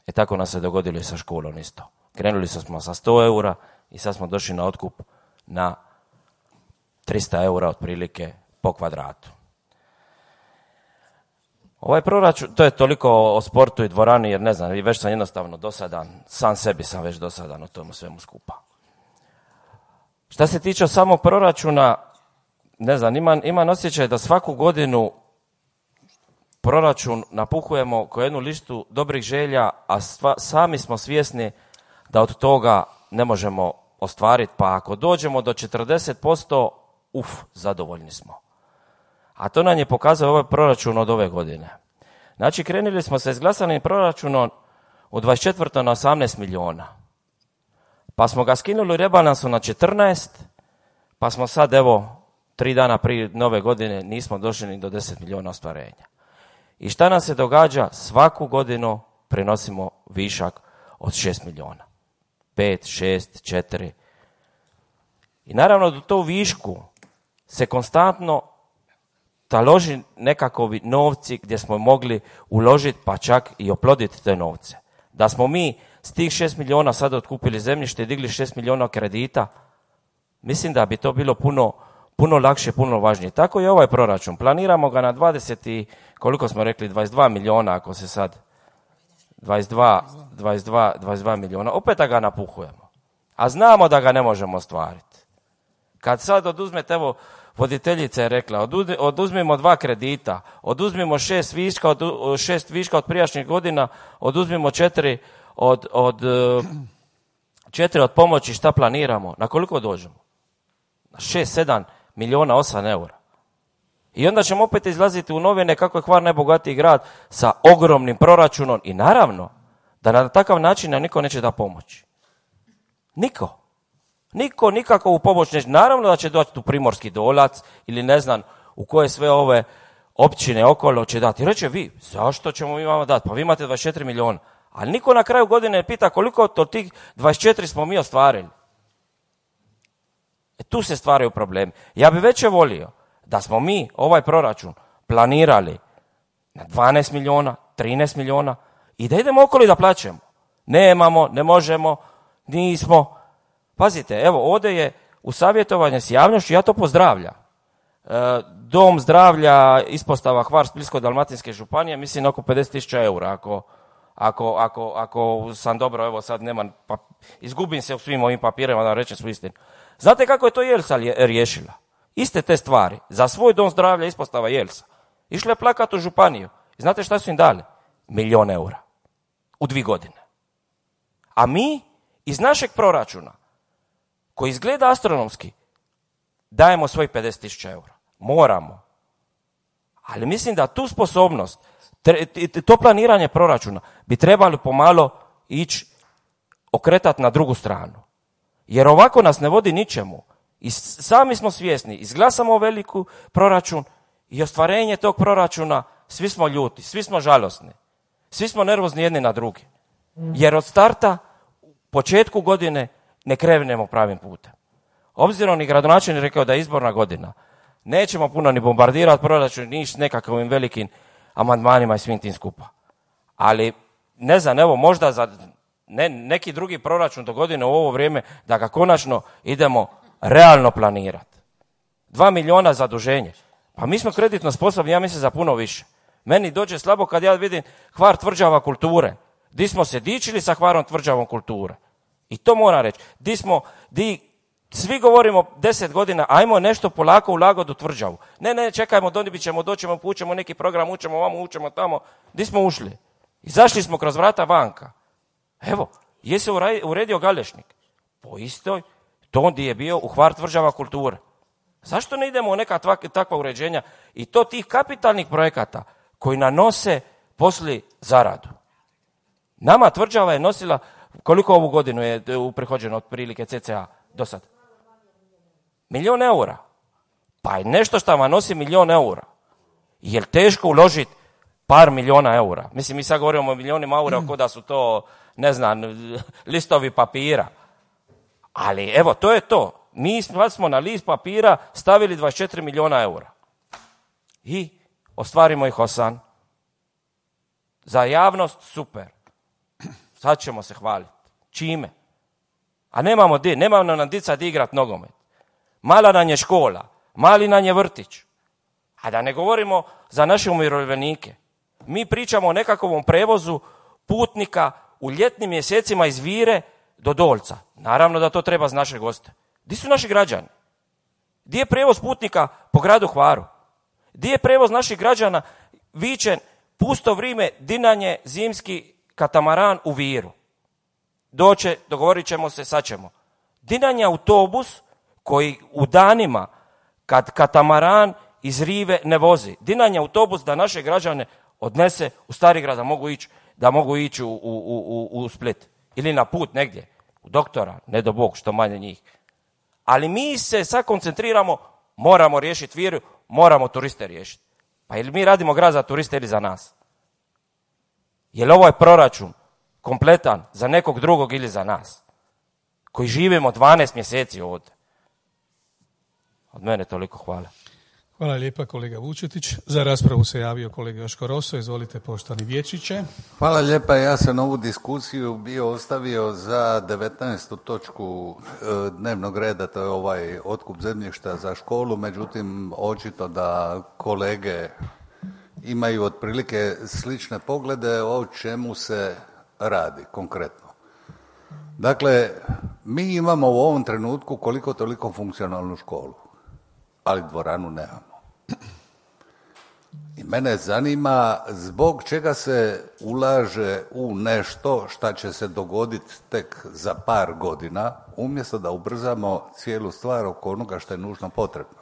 E tako nam se dogodilo i sa školom isto. Krenuli smo sa sto eura i sad smo došli na otkup na tristo eura otprilike po kvadratu. Ovaj proračun, to je toliko o sportu i dvorani, jer ne znam, već sam jednostavno dosadan, sam sebi sam već dosadan o tomu svemu skupa. Šta se tiče samog proračuna, ne znam, imam, imam osjećaj da svaku godinu proračun napuhujemo ko jednu listu dobrih želja, a sva, sami smo svjesni da od toga ne možemo ostvariti, pa ako dođemo do četrdeset posto, uf, zadovoljni smo. A to nam je pokazao ovaj proračun od ove godine. Znači, krenuli smo sa izglasanim proračunom u dvadeset četvrtom na osamnaest milijuna. Pa smo ga skinuli u rebalansu na četrnaest, pa smo sad, evo, tri dana prije nove godine nismo došli ni do deset milijuna ostvarenja. I šta nam se događa? Svaku godinu prenosimo višak od šest milijuna. pet, šest, četiri. I naravno do to višku se konstantno taloži nekakvi novci gdje smo mogli uložiti pa čak i oploditi te novce. Da smo mi s tih šest milijuna sad otkupili zemljište i digli šest milijuna kredita, mislim da bi to bilo puno, puno lakše, puno važnije. Tako je ovaj proračun. Planiramo ga na dvadeset i, koliko smo rekli, dvadeset dva milijuna, ako se sad, dvadeset dva, dvadeset dva, dvadeset dva milijuna, opet da ga napuhujemo. A znamo da ga ne možemo ostvariti. Kad sad oduzmete, evo, voditeljica je rekla, oduzmimo dva kredita, oduzmimo šest viška od, šest viška od prijašnjih godina, oduzmimo četiri od, od, četiri od pomoći, šta planiramo? Na koliko dođemo? Na šest, sedam milijuna, osam eura. I onda ćemo opet izlaziti u novine kako je Hvar najbogatiji grad sa ogromnim proračunom i naravno da na takav način nam niko neće da pomoći. Niko. Niko nikako u pomoć neće. Naravno da će doći tu Primorski Dolac ili ne znam u koje sve ove općine okolo će dati. I reće vi, zašto ćemo mi vama dati? Pa vi imate dvadeset četiri milijuna. Ali niko na kraju godine pita koliko od tih dvadeset četiri smo mi ostvarili. E tu se stvaraju problemi. Ja bi već volio da smo mi ovaj proračun planirali na dvanaest milijuna, trinaest milijuna i da idemo okolo i da plaćemo. Nemamo, ne možemo, nismo. Pazite, evo ovdje je u savjetovanje s javnošću, ja to pozdravljam. E, Dom zdravlja ispostava Hvar Splitsko-dalmatinske županije, mislim oko pedeset tisuća eura, ako, ako, ako, ako sam dobro, evo sad nemam, pa, izgubim se u svim ovim papirima da rečem svu istinu. Znate kako je to Jelsa riješila? Iste te stvari, za svoj dom zdravlja ispostava Jelsa. Išla je plakat u županiju. I znate šta su im dali? Milijon eura. U dvi godine. A mi iz našeg proračuna, koji izgleda astronomski, dajemo svojih pedeset tisuća eura. Moramo. Ali mislim da tu sposobnost, to planiranje proračuna bi trebali pomalo ići okretati na drugu stranu. Jer ovako nas ne vodi ničemu. I sami smo svjesni, izglasamo veliku proračun i ostvarenje tog proračuna, svi smo ljuti, svi smo žalosni, svi smo nervozni jedni na drugi. Jer od starta, početku godine, ne krenemo pravim putem. Obzirom i gradonačelnik rekao da je izborna godina, nećemo puno ni bombardirati proračun, ni s nekakvim velikim amandmanima i svim tim skupa. Ali, ne znam, evo, možda za ne, neki drugi proračun do godine u ovo vrijeme, da ga konačno idemo realno planirati. Dva milijuna zaduženje. Pa mi smo kreditno sposobni, ja mislim, za puno više. Meni dođe slabo kad ja vidim Hvar tvrđava kulture. Di smo se dičili sa Hvarom tvrđavom kulture. I to moram reći. Di smo, di svi govorimo deset godina, ajmo nešto polako ulagati u tvrđavu. Ne, ne, čekajmo, donibit ćemo, doćemo, pućemo neki program, učemo ovamo, učemo tamo. Di smo ušli? Izašli smo kroz vrata vanka. Evo, je se uredio Galešnik. Po istoj, to onda je bio u Hvar tvrđava kulture. Zašto ne idemo u neka takva uređenja i to tih kapitalnih projekata koji nanose poslije zaradu? Nama tvrđava je nosila, koliko ovu godinu je uprihođeno od prilike C C A do sad? Milijon eura. Pa je nešto što vam nosi milijon eura. Je li teško uložiti par milijuna eura. Mislim, mi sad govorimo o milionima eura, kao da su to, ne znam, listovi papira. Ali evo, to je to. Mi smo na list papira stavili dvadeset četiri milijuna eura. I ostvarimo ih osam. Za javnost super. Sad ćemo se hvaliti. Čime? A nemamo di, nemamo nam dica di igrat nogomet. Mala nam je škola, mali nam je vrtić. A da ne govorimo za naše umirovljenike. Mi pričamo o nekakvom prevozu putnika u ljetnim mjesecima iz Vire do Dolca. Naravno da to treba za naše goste. Di su naši građani? Di je prevoz putnika po gradu Hvaru? Di je prevoz naših građana vičen pusto vrijeme dinanje zimski katamaran u Viru? Doće, dogovorit ćemo se, sad ćemo. Dinanje autobus koji u danima kad katamaran iz Rive ne vozi. Dinanje autobus da naše građane odnese u Starigrad da mogu ići, da mogu ići u, u, u, u Split. Ili na put negdje. U doktora, ne do Bog, što manje njih. Ali mi se sad koncentriramo, moramo riješiti Viru, moramo turiste riješiti. Pa ili mi radimo grad za turiste ili za nas? Je li ovo je proračun kompletan za nekog drugog ili za nas? Koji živimo dvanaest mjeseci ovdje. Od mene toliko hvala. Hvala lijepa kolega Vučetić. Za raspravu se javio kolega Joško Roso. Izvolite poštovani vijećniče. Hvala lijepa. Ja sam ovu diskusiju bio ostavio za devetnaestu točku dnevnog reda, to je ovaj otkup zemljišta za školu, međutim očito da kolege imaju otprilike slične poglede o čemu se radi konkretno. Dakle, mi imamo u ovom trenutku koliko toliko funkcionalnu školu, ali dvoranu nemamo. I mene zanima zbog čega se ulaže u nešto šta će se dogoditi tek za par godina, umjesto da ubrzamo cijelu stvar oko onoga što je nužno potrebno.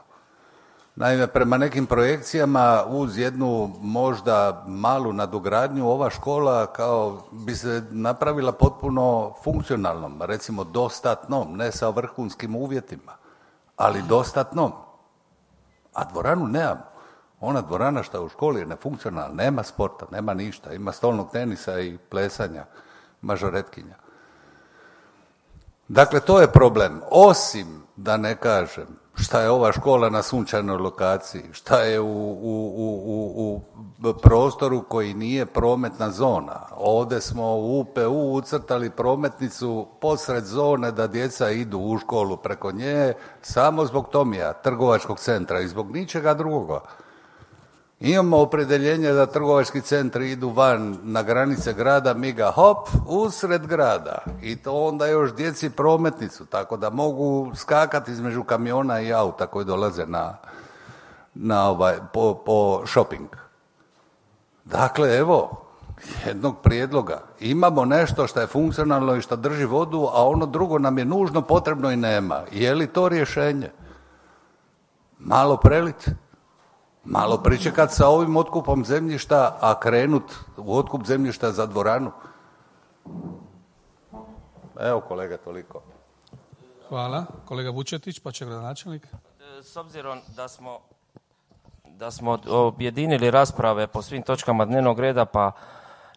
Naime, prema nekim projekcijama uz jednu možda malu nadogradnju ova škola kao bi se napravila potpuno funkcionalnom, recimo dostatnom, ne sa vrhunskim uvjetima, ali dostatnom. A dvoranu nemamo. Ona dvorana što je u školi je nefunkcionalna, nema sporta, nema ništa, ima stolnog tenisa i plesanja, mažoretkinja. Dakle, to je problem. Osim, da ne kažem, šta je ova škola na sunčanoj lokaciji, šta je u, u, u, u prostoru koji nije prometna zona. Ovdje smo u U P U ucrtali prometnicu posred zone da djeca idu u školu preko nje, samo zbog Tomija, trgovačkog centra i zbog ničega drugoga. Imamo opredjeljenje da trgovački centri idu van na granice grada, mi ga hop, usred grada. I to onda još djeci prometnicu, tako da mogu skakati između kamiona i auta koji dolaze na, na ovaj, po, po shopping. Dakle, evo, jednog prijedloga. Imamo nešto što je funkcionalno i što drži vodu, a ono drugo nam je nužno, potrebno i nema. Je li to rješenje? Malo prelit. Malo pričekat sa ovim otkupom zemljišta, a krenut u otkup zemljišta za dvoranu. Evo kolega, toliko. Hvala. Kolega Vučetić, pa će gradonačelnik. S obzirom da smo, da smo objedinili rasprave po svim točkama dnevnog reda, pa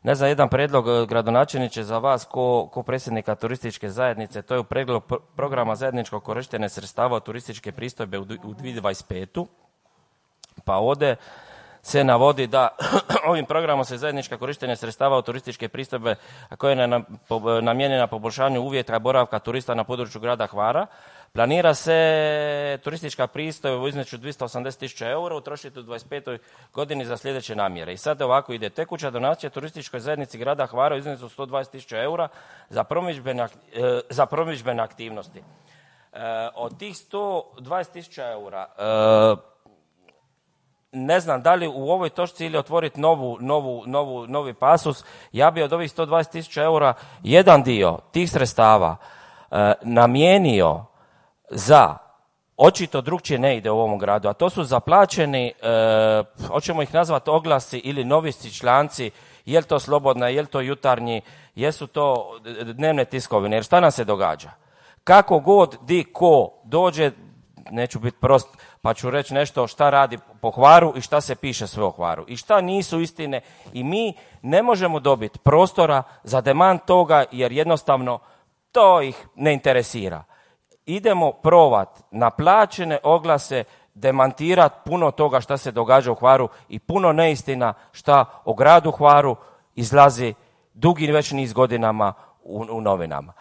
ne znam, jedan predlog gradonačelniče za vas ko, ko predsjednika turističke zajednice, to je u pregledu programa zajedničkog korištenja sredstava od turističke pristojbe u dvije tisuće dvadeset pete. Pa ovdje se navodi da ovim programom se zajednička korištenja sredstava od turističke pristojbe koja je namijenjena poboljšanju uvjeta boravka turista na području grada Hvara. Planira se turistička pristojba u iznosu dvjesto osamdeset tisuća eura utrošiti u dvadeset petoj godini za sljedeće namjere. I sad ovako ide: tekuća donacija turističkoj zajednici grada Hvara u iznosu sto dvadeset tisuća eura za promidžbene, za promidžbene aktivnosti. Od tih sto dvadeset tisuća eura ne znam da li u ovoj točci ili otvoriti novu, novu, novu, novi pasus. Ja bi od ovih sto dvadeset tisuća eura jedan dio tih sredstava e, namijenio za, očito drugčije ne ide u ovom gradu, a to su zaplaćeni, e, hoćemo ih nazvati oglasi ili novisti članci, je li to slobodna, je li to jutarnji, jesu to dnevne tiskovine, jer šta nam se događa? Kako god di ko dođe, neću biti prost, pa ću reći nešto šta radi po Hvaru i šta se piše sve o Hvaru i šta nisu istine i mi ne možemo dobiti prostora za demant toga jer jednostavno to ih ne interesira. Idemo provat na plaćene oglase demantirati puno toga šta se događa u Hvaru i puno neistina šta o gradu Hvaru izlazi dugi već niz godinama u, u novinama.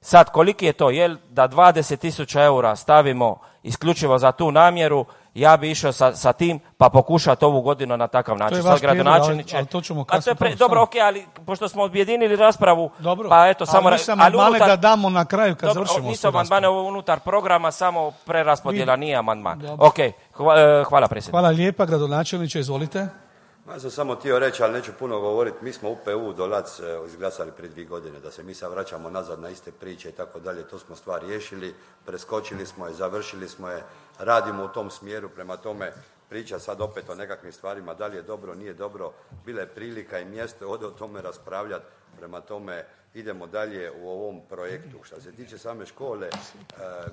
Sad, koliki je to? Jel da dvadeset tisuća eura stavimo isključivo za tu namjeru, ja bi išao sa, sa tim pa pokušati ovu godinu na takav način. To je vaš prijedlog, ali, ali to ćemo kasnije. Pre... Dobro, ok, ali pošto smo objedinili raspravu, dobro, pa eto, samo... Ali nisam amandmane unutar... da damo na kraju kad dobro, završimo. Nisu amandmane unutar programa, samo preraspodjela, nije amandman. Ok, hvala, hvala predsjedniče. Hvala lijepa, gradonačelniče, izvolite. Ja sam samo htio reći, ali neću puno govoriti, mi smo U P U do Lac izglasali prije dvije godine, da se mi sad vraćamo nazad na iste priče i tako dalje, to smo stvar riješili, preskočili smo je, završili smo je, radimo u tom smjeru, prema tome priča sad opet o nekakvim stvarima, da li je dobro, nije dobro, bila je prilika i mjesto ovdje o tome raspravljati, prema tome idemo dalje u ovom projektu. Što se tiče same škole, e,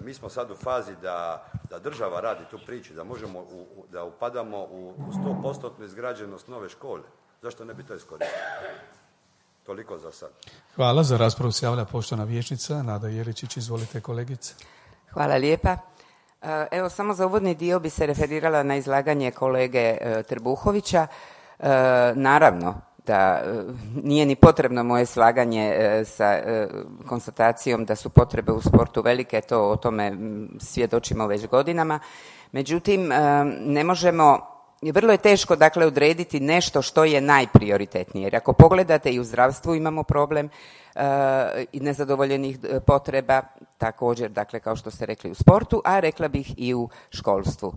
mi smo sad u fazi da, da država radi tu priču, da možemo, u, da upadamo u sto posto izgrađenost nove škole. Zašto ne bi to iskoristili? Toliko za sad. Hvala. Za raspravu se javlja poštovana vijećnica Nada Jeličić. Izvolite, kolegice. Hvala lijepa. Evo, samo za uvodni dio bi se referirala na izlaganje kolege Trbuhovića. Naravno da nije ni potrebno moje slaganje sa konstatacijom da su potrebe u sportu velike, to o tome svjedočimo već godinama. Međutim, ne možemo, vrlo je teško dakle odrediti nešto što je najprioritetnije. Jer ako pogledate i u zdravstvu imamo problem i nezadovoljenih potreba, također dakle kao što ste rekli u sportu, a rekla bih i u školstvu.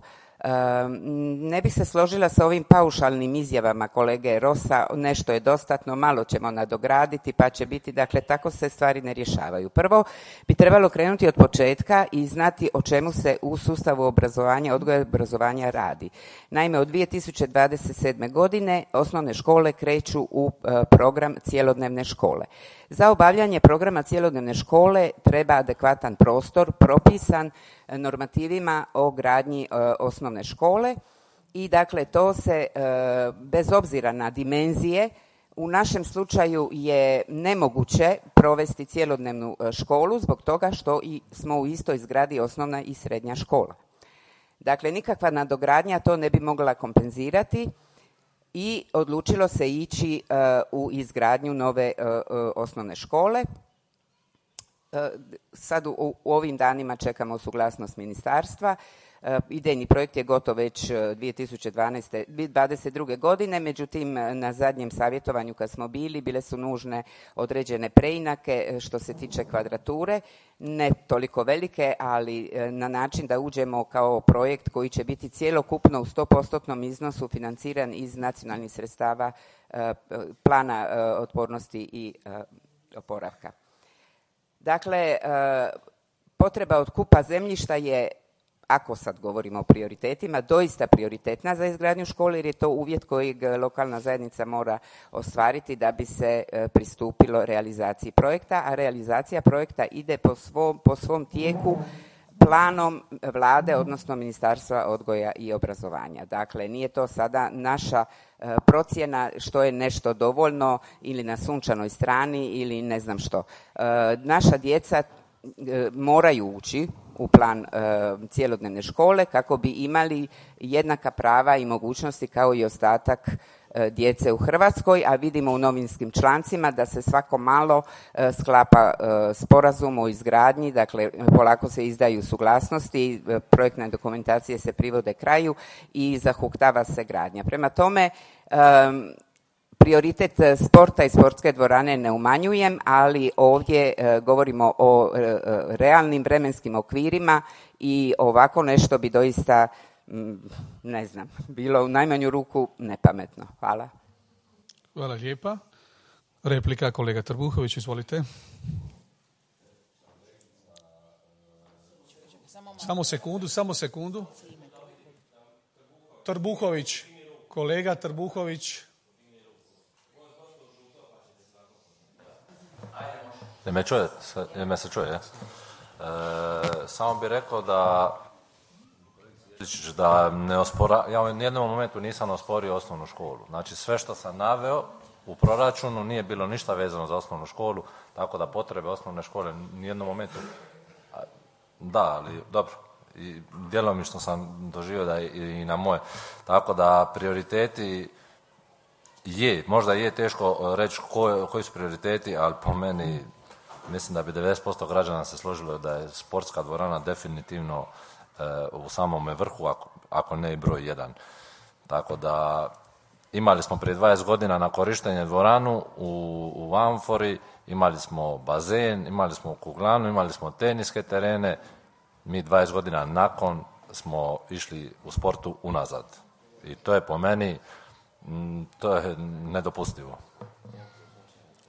Ne bih se složila sa ovim paušalnim izjavama kolege Rosa, nešto je dostatno, malo ćemo nadograditi pa će biti, dakle tako se stvari ne rješavaju. Prvo bi trebalo krenuti od početka i znati o čemu se u sustavu obrazovanja, odgoja i obrazovanja radi. Naime, od dvije tisuće dvadeset sedme. godine osnovne škole kreću u program cjelodnevne škole. Za obavljanje programa cjelodnevne škole treba adekvatan prostor propisan normativima o gradnji e, osnovne škole i dakle to se e, bez obzira na dimenzije u našem slučaju je nemoguće provesti cjelodnevnu školu zbog toga što i smo u istoj zgradi osnovna i srednja škola. Dakle, nikakva nadogradnja to ne bi mogla kompenzirati i odlučilo se ići uh, u izgradnju nove uh, uh, osnovne škole. Uh, sad u, u ovim danima čekamo suglasnost ministarstva. Uh, idejni projekt je gotov već dvije tisuće dvadeset druge. godine, međutim na zadnjem savjetovanju kad smo bili bile su nužne određene preinake što se tiče kvadrature, ne toliko velike, ali na način da uđemo kao projekt koji će biti cjelokupno u sto postotnom iznosu financiran iz nacionalnih sredstava uh, plana uh, otpornosti i uh, oporavka. Dakle, uh, potreba otkupa zemljišta je, ako sad govorimo o prioritetima, doista prioritetna za izgradnju škole jer je to uvjet kojeg lokalna zajednica mora ostvariti da bi se pristupilo realizaciji projekta, a realizacija projekta ide po svom, po svom tijeku planom vlade, odnosno Ministarstva odgoja i obrazovanja. Dakle, nije to sada naša e, procjena što je nešto dovoljno ili na sunčanoj strani ili ne znam što. E, naša djeca e, moraju ući u plan e, cjelodnevne škole kako bi imali jednaka prava i mogućnosti kao i ostatak e, djece u Hrvatskoj, a vidimo u novinskim člancima da se svako malo e, sklapa e, sporazum o izgradnji, dakle polako se izdaju suglasnosti, e, projektne dokumentacije se privode kraju i zahuktava se gradnja. Prema tome, e, prioritet sporta i sportske dvorane ne umanjujem, ali ovdje e, govorimo o e, realnim vremenskim okvirima i ovako nešto bi doista, m, ne znam, bilo u najmanju ruku nepametno. Hvala. Hvala lijepa. Replika kolega Trbuhović, izvolite. Samo sekundu, samo sekundu. Trbuhović, kolega Trbuhović. Ne me čuje, me se čuje, ja? E, samo bih rekao da Da ne ospora, ja u nijednom momentu nisam osporio osnovnu školu. Znači sve što sam naveo u proračunu nije bilo ništa vezano za osnovnu školu, tako da potrebe osnovne škole nijednom momentu... Da, ali dobro. I djelomično sam doživio da i na moje. Tako da prioriteti je, možda je teško reći koji, koji su prioriteti, ali po meni mislim da bi devedeset posto građana se složilo da je sportska dvorana definitivno e, u samome vrhu, ako, ako ne i broj jedan. Tako da imali smo prije dvadeset godina na korištenje dvoranu u, u Amfori, imali smo bazen, imali smo kuglanu, imali smo teniske terene. Mi dvadeset godina nakon smo išli u sportu unazad. I to je po meni, to je nedopustivo.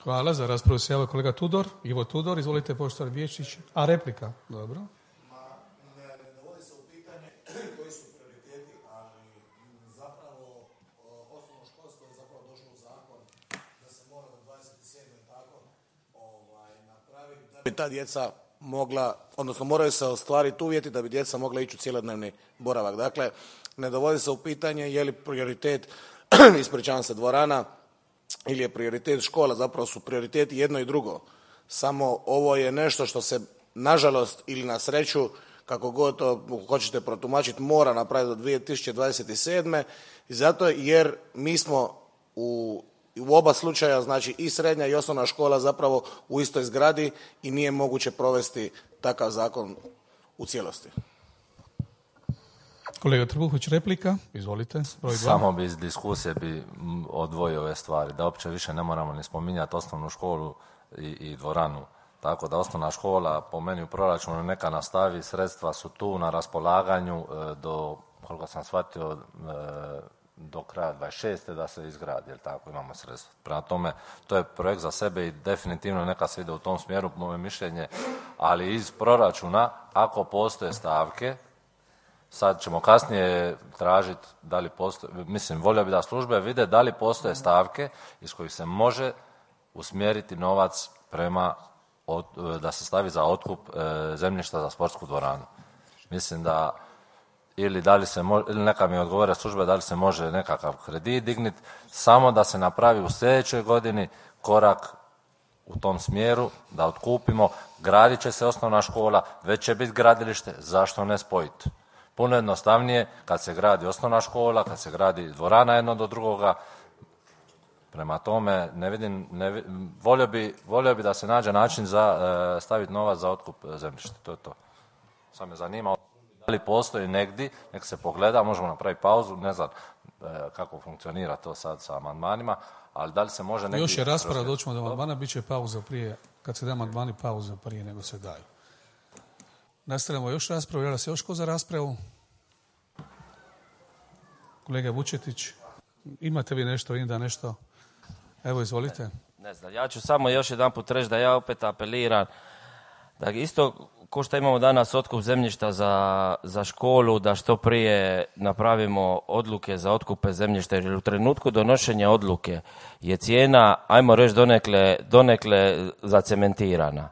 Hvala. Za raspravu se javio kolega Tudor, Ivo Tudor. Izvolite, poštovani Vječić. A replika? Dobro. Ma, ne, ne dovodi se u pitanje koji su prioriteti, ali zapravo osnovno školstvo je zapravo došlo u zakon da se mora do dvadeset sedme tako ovaj, napraviti da bi ta djeca mogla, odnosno moraju se ostvariti uvjeti da bi djeca mogla ići u cjelodnevni boravak. Dakle, ne dovodi se u pitanje je li prioritet, ispričavam se, dvorana ili je prioritet škola, zapravo su prioriteti jedno i drugo. Samo ovo je nešto što se, nažalost ili na sreću, kako god to hoćete protumačiti, mora napraviti do dvije tisuće dvadeset sedme i zato jer mi smo u u oba slučaja, znači i srednja i osnovna škola zapravo u istoj zgradi i nije moguće provesti takav zakon u cijelosti. Kolega Trbuhović, replika, izvolite. Broj dva. Samo bi iz diskusije bi odvojio ove stvari, da uopće više ne moramo ni spominjati osnovnu školu i, i dvoranu. Tako da osnovna škola po meni u proračunu neka nastavi, sredstva su tu na raspolaganju do, koliko sam shvatio, do kraja dvadeset šeste da se izgradi, jer tako imamo sredstva. Prema tome, to je projekt za sebe i definitivno neka se ide u tom smjeru, moje mišljenje, ali iz proračuna, ako postoje stavke, sad ćemo kasnije tražiti da li postoje, mislim, volio bi da službe vide da li postoje stavke iz kojih se može usmjeriti novac prema, od, da se stavi za otkup e, zemljišta za sportsku dvoranu. Mislim da ili da li se može, ili neka mi odgovore službe da li se može nekakav kredit digniti, samo da se napravi u sljedećoj godini korak u tom smjeru, da otkupimo, gradit će se osnovna škola, već će biti gradilište, zašto ne spojiti? Puno jednostavnije kad se gradi osnovna škola, kad se gradi dvorana jedno do drugoga. Prema tome, ne vidim, ne vidim, volio bi, volio bi da se nađe način za e, staviti novac za otkup zemljišta. To je to. Sad me zanima da li postoji negdje, nek se pogleda, možemo napraviti pauzu, ne znam e, kako funkcionira to sad sa amandmanima, ali da li se može negdje... Još je rasprava, doćemo do amandmana, bit će pauza prije, kad se da amandmani, pauza prije nego se daju. Nastavljamo još raspravu, javlja se još ko za raspravu? Kolega Vučetić, imate vi nešto, vidim da nešto... Evo, izvolite. Ne, ne znam, ja ću samo još jedan put reći da ja opet apeliram da isto ko što imamo danas otkup zemljišta za, za školu, da što prije napravimo odluke za otkupe zemljišta, jer u trenutku donošenja odluke je cijena, ajmo reći, donekle, donekle zacementirana.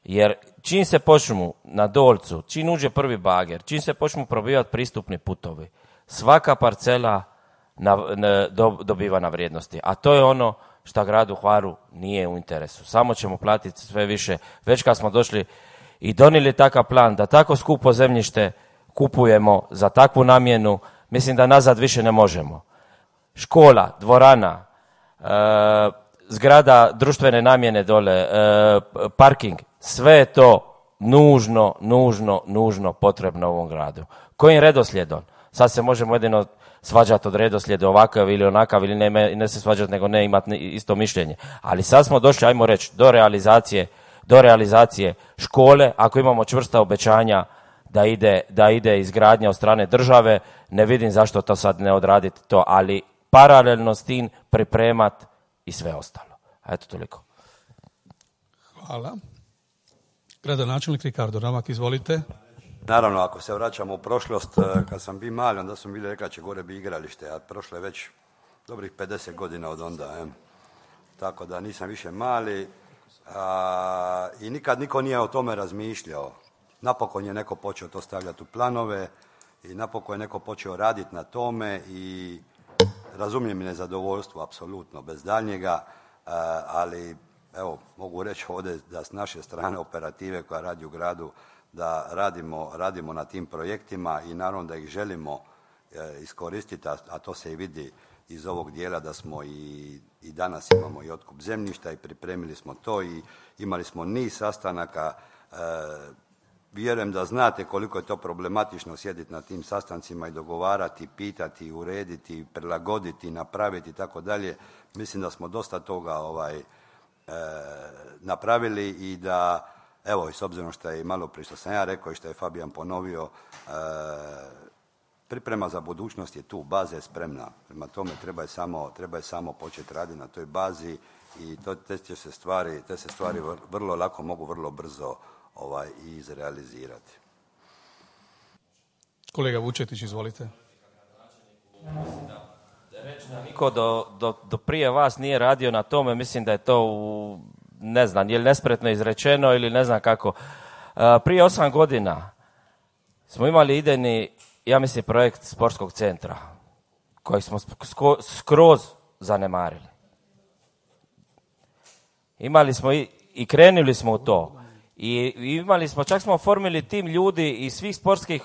Jer čim se počnu na Dolcu, čim uđe prvi bager, čim se počnu probivati pristupni putovi, svaka parcela na, na, do, dobiva na vrijednosti. A to je ono što gradu Hvaru nije u interesu. Samo ćemo platiti sve više. Već kad smo došli i donijeli takav plan da tako skupo zemljište kupujemo za takvu namjenu, mislim da nazad više ne možemo. Škola, dvorana, e, zgrada društvene namjene dole, e, parking, sve je to nužno, nužno, nužno potrebno u ovom gradu. Kojim redoslijedom? Sad se možemo jedino svađati od redoslijeda ovakav ili onakav, ili ne, ne se svađati nego ne imati isto mišljenje. Ali sad smo došli, ajmo reći, do realizacije, do realizacije škole. Ako imamo čvrsta obećanja da ide, da ide izgradnja od strane države, ne vidim zašto to sad ne odraditi to, ali paralelno s tim pripremat i sve ostalo. Eto, toliko. Hvala. Gradonačelnik Ricardo Ramak, izvolite. Naravno, ako se vraćamo u prošlost, kad sam bio mali, onda sam bili rekao će gore bi igralište, a prošlo je već dobrih pedeset godina od onda. Je. Tako da nisam više mali a, i nikad niko nije o tome razmišljao. Napokon je neko počeo to stavljati u planove i napokon je neko počeo raditi na tome i razumijem nezadovoljstvo, apsolutno, bez daljnjega, ali evo, mogu reći ovdje da s naše strane operative koja radi u gradu, da radimo, radimo na tim projektima i naravno da ih želimo iskoristiti, a to se i vidi iz ovog dijela da smo i, i danas imamo i otkup zemljišta i pripremili smo to i imali smo niz sastanaka. E, vjerujem da znate koliko je to problematično sjediti na tim sastancima i dogovarati, pitati, urediti, prilagoditi, napraviti i tako dalje. Mislim da smo dosta toga ovaj, e, napravili i da, evo, i s obzirom što je i malo prije što sam ja rekao i što je Fabijan ponovio, e, priprema za budućnost je tu, baza je spremna. Prema tome treba je samo, treba je samo početi raditi na toj bazi i to, te, će se stvari, te se stvari vrlo lako mogu vrlo brzo ovaj, izrealizirati. Kolega Vučetić, izvolite. Niko do, do, do prije vas nije radio na tome, mislim da je to u, ne znam, je li nespretno izrečeno ili ne znam kako. Prije osam godina smo imali idejni, ja mislim, projekt sportskog centra koji smo skroz zanemarili. Imali smo i, i krenuli smo u to. I imali smo, čak smo oformili tim ljudi iz svih sportskih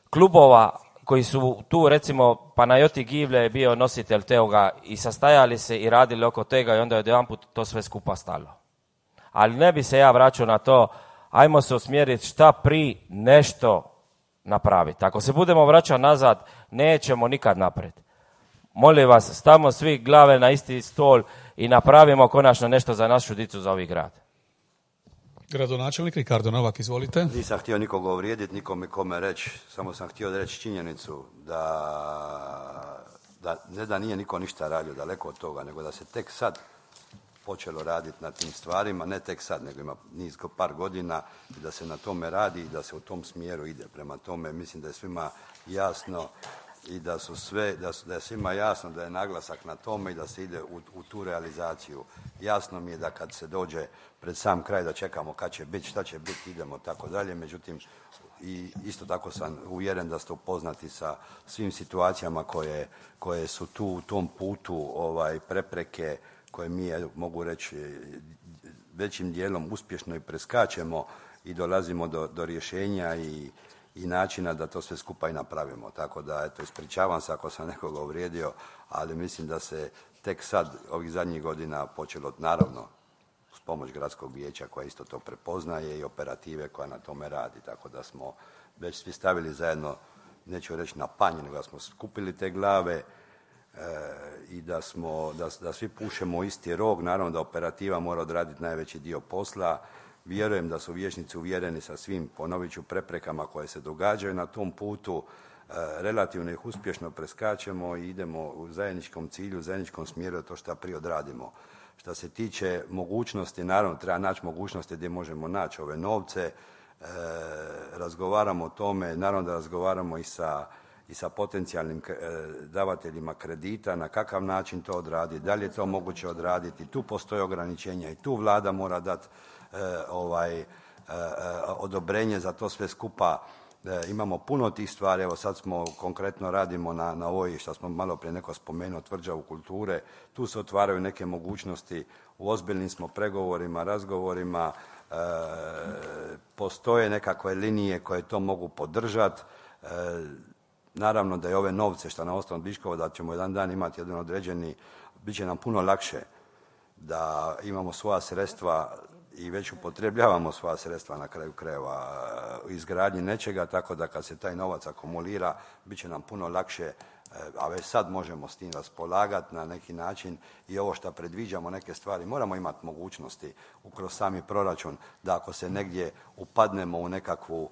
klubova koji su tu, recimo, Panajoti Givlje je bio nositelj toga i sastajali se i radili oko toga i onda je odjedanput to sve skupa stalo. Ali ne bi se ja vraćao na to, ajmo se usmjeriti šta pri nešto napraviti. Ako se budemo vraćati nazad, nećemo nikad naprijed. Molim vas, stavimo svi glave na isti stol i napravimo konačno nešto za našu dicu, za ovaj grad. Gradonačelnik Ricardo Novak, izvolite. Nisam htio nikoga uvrijediti, nikome kome reći, samo sam htio reći činjenicu da, da ne da nije niko ništa radio, daleko od toga, nego da se tek sad počelo raditi na tim stvarima, ne tek sad, nego ima niz par godina i da se na tome radi i da se u tom smjeru ide. Prema tome mislim da je svima jasno i da su sve, da, su, da je svima jasno da je naglasak na tome i da se ide u, u tu realizaciju. Jasno mi je da kad se dođe pred sam kraj da čekamo kad će biti, šta će biti, idemo tako dalje, međutim i isto tako sam uvjeren da ste upoznati sa svim situacijama koje, koje su tu u tom putu ovaj, prepreke koje mi, mogu reći, većim dijelom uspješno i preskačemo i dolazimo do, do rješenja i, i načina da to sve skupa i napravimo. Tako da, eto, ispričavam se ako sam nekoga uvrijedio, ali mislim da se tek sad, ovih zadnjih godina, počelo, naravno, s pomoć gradskog vijeća koja isto to prepoznaje i operative koja na tome radi. Tako da smo već svi stavili zajedno, neću reći na panj, nego da smo skupili te glave, i da, smo, da, da svi pušemo isti rog. Naravno da operativa mora odraditi najveći dio posla. Vjerujem da su vijećnici uvjereni sa svim, ponovit ću, preprekama koje se događaju na tom putu. E, relativno ih uspješno preskačemo i idemo u zajedničkom cilju, u zajedničkom smjeru da to što prije odradimo. Što se tiče mogućnosti, naravno treba naći mogućnosti gdje možemo naći ove novce. E, razgovaramo o tome, naravno da razgovaramo i sa i sa potencijalnim davateljima kredita, na kakav način to odraditi, da li je to moguće odraditi. Tu postoje ograničenja i tu vlada mora dati e, ovaj, e, odobrenje za to sve skupa. E, imamo puno tih stvari, evo sad smo konkretno radimo na, na ovoj, što smo malo prije neko spomenuo, tvrđavu kulture. Tu se otvaraju neke mogućnosti, u ozbiljnim smo pregovorima, razgovorima, e, postoje nekakve linije koje to mogu podržati. E, Naravno da je ove novce što na osnovu Biškova da ćemo jedan dan imati jedan određeni, bit će nam puno lakše da imamo svoja sredstva i već upotrebljavamo svoja sredstva na kraju krajeva u izgradnji nečega, tako da kad se taj novac akumulira, bit će nam puno lakše, a već sad možemo s tim raspolagati na neki način i ovo što predviđamo neke stvari, moramo imati mogućnosti ukroz sami proračun da ako se negdje upadnemo u nekakvu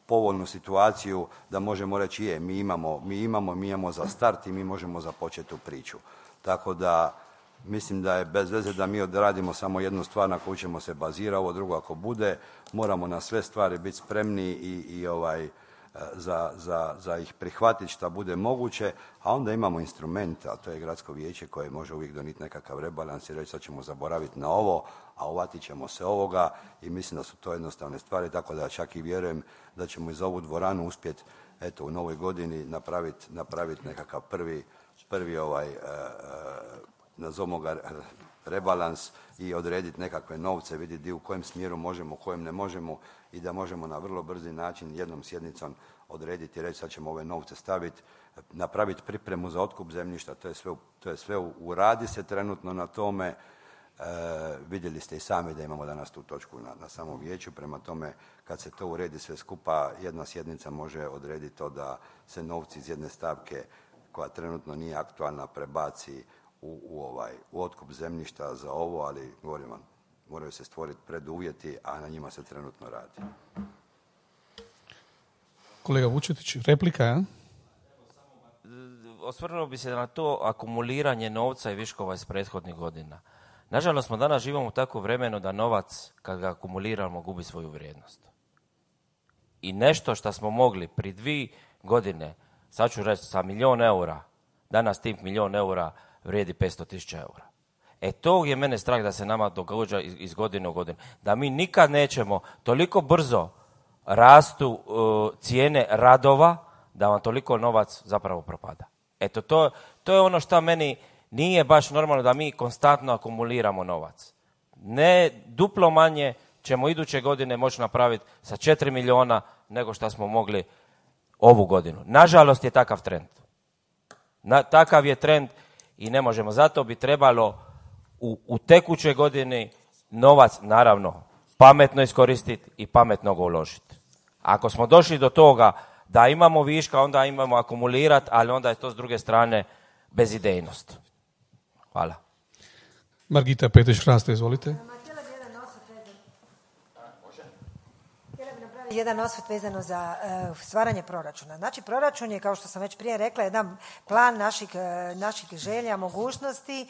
povoljnu situaciju da možemo reći je, mi imamo, mi imamo, mi imamo za start i mi možemo započeti tu priču. Tako da mislim da je bez veze da mi odradimo samo jednu stvar na koju ćemo se bazirati, ovo drugo ako bude, moramo na sve stvari biti spremni i, i ovaj, za, za, za ih prihvatiti šta bude moguće, a onda imamo instrument, a to je gradsko vijeće koje može uvijek donijeti nekakav rebalans i reći sad ćemo zaboraviti na ovo, a uvatit ćemo se ovoga i mislim da su to jednostavne stvari, tako da čak i vjerujem da ćemo iz ovu dvoranu uspjeti eto u novoj godini napraviti napravit nekakav prvi, prvi ovaj, uh, nazovimo ga rebalans i odrediti nekakve novce, vidjeti u kojem smjeru možemo, u kojem ne možemo i da možemo na vrlo brzi način jednom sjednicom odrediti i reći sad ćemo ove novce staviti, napraviti pripremu za otkup zemljišta, to je sve, to je sve u radi se trenutno na tome. E, vidjeli ste i sami da imamo danas tu točku na, na samom vijeću, prema tome kad se to uredi sve skupa, jedna sjednica može odrediti to da se novci iz jedne stavke koja trenutno nije aktualna prebaci u, u, ovaj, u otkup zemljišta za ovo, ali govorim vam, moraju se stvoriti preduvjeti, a na njima se trenutno radi. Kolega Vučetić, replika, ja? Osvrnuo bi se na to akumuliranje novca i viškova iz prethodnih godina. Nažalost, smo danas živimo u takvo vremenu da novac, kad ga akumuliramo, gubi svoju vrijednost. I nešto što smo mogli pri dvije godine, sad ću reći sa milijon eura, danas tih milijon eura vrijedi petsto tisuća eura. E to je mene strah da se nama događa iz, iz godine u godinu. Da mi nikad nećemo toliko brzo rastu uh, cijene radova, da vam toliko novac zapravo propada. Eto, to, to je ono što meni nije baš normalno, da mi konstantno akumuliramo novac. Ne duplo manje ćemo iduće godine moći napraviti sa četiri milijuna nego što smo mogli ovu godinu. Nažalost je takav trend. Na, takav je trend i ne možemo. Zato bi trebalo u, u tekućoj godini novac, naravno, pametno iskoristiti i pametno ga uložiti. Ako smo došli do toga da imamo viška, onda imamo akumulirati, ali onda je to s druge strane bezidejnost. Hvala. Margita Petrić-Hraste, izvolite. Jedan osvrt vezano za uh, stvaranje proračuna. Znači, proračun je, kao što sam već prije rekla, jedan plan naših, uh, naših želja, mogućnosti,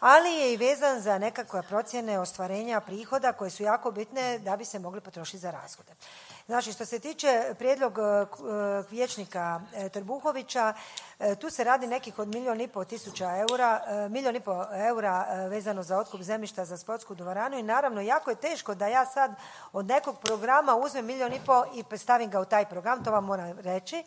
ali je i vezan za nekakve procjene ostvarenja prihoda koje su jako bitne da bi se mogli potrošiti za rashode. Znači, što se tiče prijedlog uh, vijećnika uh, Trbuhovića, uh, tu se radi nekih od milijun i pol tisuća eura, uh, milijun i pol eura uh, vezano za otkup zemljišta za sportsku dvoranu i naravno jako je teško da ja sad od nekog programa uzmem milijun i pol i stavim ga u taj program, to vam moram reći.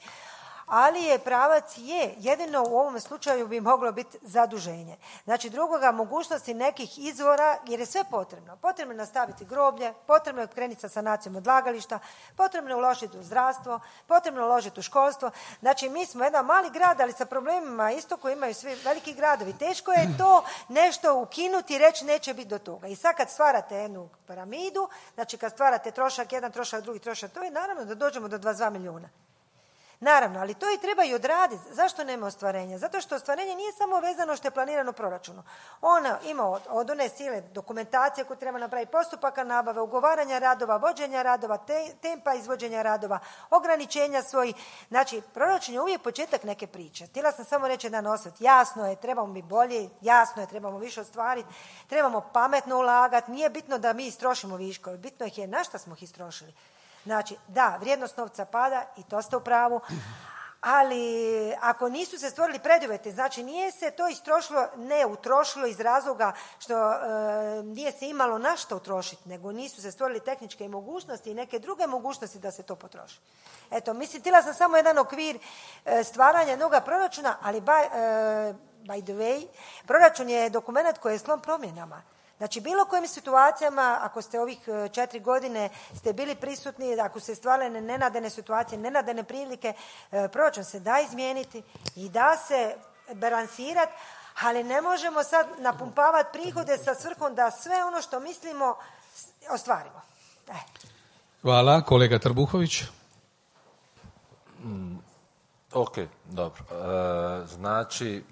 Ali je pravac je, jedino u ovom slučaju bi moglo biti zaduženje. Znači drugoga mogućnosti nekih izvora, jer je sve potrebno. Potrebno je nastaviti groblje, potrebno je krenuti sa sanacijom odlagališta, potrebno je uložiti u zdravstvo, potrebno je uložiti u školstvo. Znači mi smo jedan mali grad, ali sa problemima isto koji imaju svi veliki gradovi. Teško je to nešto ukinuti i reći neće biti do toga. I sad kad stvarate jednu piramidu, znači kad stvarate trošak jedan, trošak drugi, trošak to je naravno da dođemo do dvadeset dva milijuna. Naravno, ali to i treba i odraditi. Zašto nema ostvarenja? Zato što ostvarenje nije samo vezano što je planirano u proračunu. Ona ima od, od one sile dokumentacije koju treba napraviti, postupaka nabave, ugovaranja radova, vođenja radova, te, tempa izvođenja radova, ograničenja svojih. Znači, proračun je uvijek početak neke priče. Htjela sam samo reći jedan osvrt. Jasno je, trebamo biti bolji, jasno je, trebamo više ostvariti, trebamo pametno ulagati. Nije bitno da mi istrošimo viškove, bitno ih je na šta smo ih istrošili. Znači, da, vrijednost novca pada i to ste u pravu, ali ako nisu se stvorili preduvjeti, znači nije se to istrošilo, ne utrošilo iz razloga što e, nije se imalo na što utrošiti, nego nisu se stvorili tehničke mogućnosti i neke druge mogućnosti da se to potroši. Eto, mislim, htjela sam samo jedan okvir e, stvaranja noga proračuna, ali by, e, by the way, proračun je dokument koji je sklon promjenama. Znači, bilo kojim situacijama, ako ste ovih četiri godine ste bili prisutni, ako se stvarale nenadane situacije, nenadane prilike, proračun se da izmijeniti i da se balansirati, ali ne možemo sad napumpavati prihode sa svrhom da sve ono što mislimo ostvarimo. E. Hvala. Kolega Trbuhović. Mm, ok, dobro. E, znači...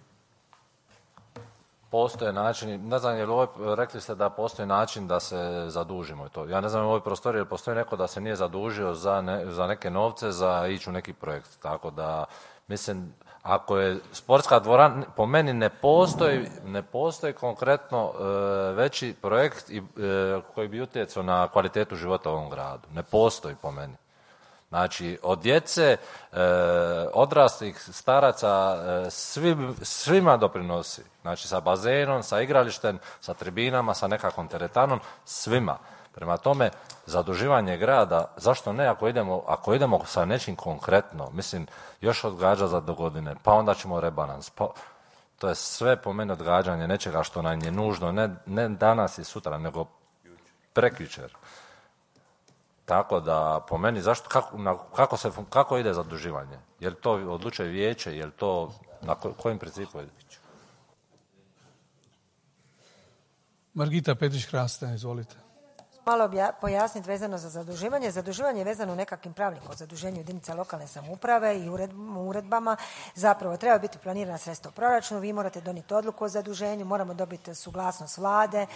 Postoje načini, ne znam, jer ovoj, rekli ste da postoji način da se zadužimo i to. Ja ne znam u ovoj prostoriji, jer postoji neko da se nije zadužio za, ne, za neke novce, za ići u neki projekt. Tako da, mislim, ako je sportska dvorana, po meni ne postoji, ne postoji konkretno e, veći projekt i, e, koji bi utjecao na kvalitetu života u ovom gradu. Ne postoji po meni. Znači, od djece, e, odraslih, staraca, e, svi, svima doprinosi. Znači, sa bazenom, sa igralištem, sa tribinama, sa nekakvom teretanom, svima. Prema tome, zaduživanje grada, zašto ne ako idemo, ako idemo sa nečim konkretno, mislim, još odgađa za do godine, pa onda ćemo rebalans, pa to je sve po meni odgađanje nečega što nam je nužno, ne, ne danas i sutra, nego prekjučer. Tako da, po meni, zašto, kako, na, kako, se, kako ide zaduživanje? Je li to odlučuje vijeće, je li to, na ko, kojim principu ide? Margita Petrić-Hrasta, izvolite. Malo pojasniti vezano za zaduživanje. Zaduživanje je vezano nekakvim pravilnikom o zaduženju jedinica lokalne samouprave i uredbama. Zapravo treba biti planirana sredstva u proračunu, vi morate donijeti odluku o zaduženju, moramo dobiti suglasnost vlade. E,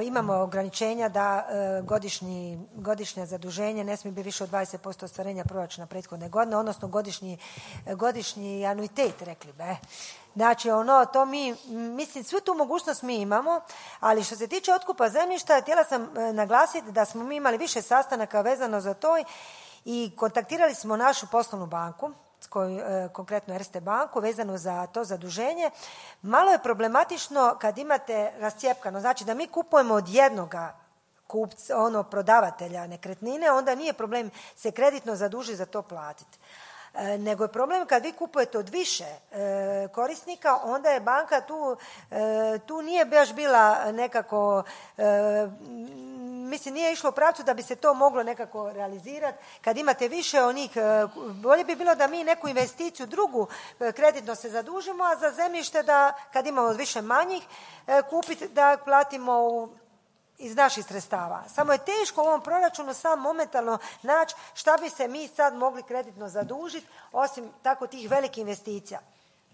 imamo ograničenja da e, godišnji, godišnje zaduženje ne smije biti više od dvadeset posto ostvarenja proračuna prethodne godine, odnosno godišnji, godišnji anuitet, rekli be. Znači, ono, to mi, mislim, svu tu mogućnost mi imamo, ali što se tiče otkupa zemljišta, htjela sam naglasiti da smo mi imali više sastanaka vezano za to i kontaktirali smo našu poslovnu banku, koju, konkretno Erste banku, vezano za to zaduženje. Malo je problematično kad imate rascijepkano, znači da mi kupujemo od jednoga kupca, ono, prodavatelja nekretnine, onda nije problem se kreditno zadužiti za to platiti. E, nego je problem kad vi kupujete od više e, korisnika, onda je banka tu, e, tu nije baš bila nekako, e, mislim nije išlo u pravcu da bi se to moglo nekako realizirati. Kad imate više onih, e, bolje bi bilo da mi neku investiciju drugu e, kreditno se zadužimo, a za zemljište da kad imamo više manjih e, kupiti da platimo u iz naših sredstava. Samo je teško u ovom proračunu sam momentalno naći šta bi se mi sad mogli kreditno zadužiti osim tako tih velikih investicija.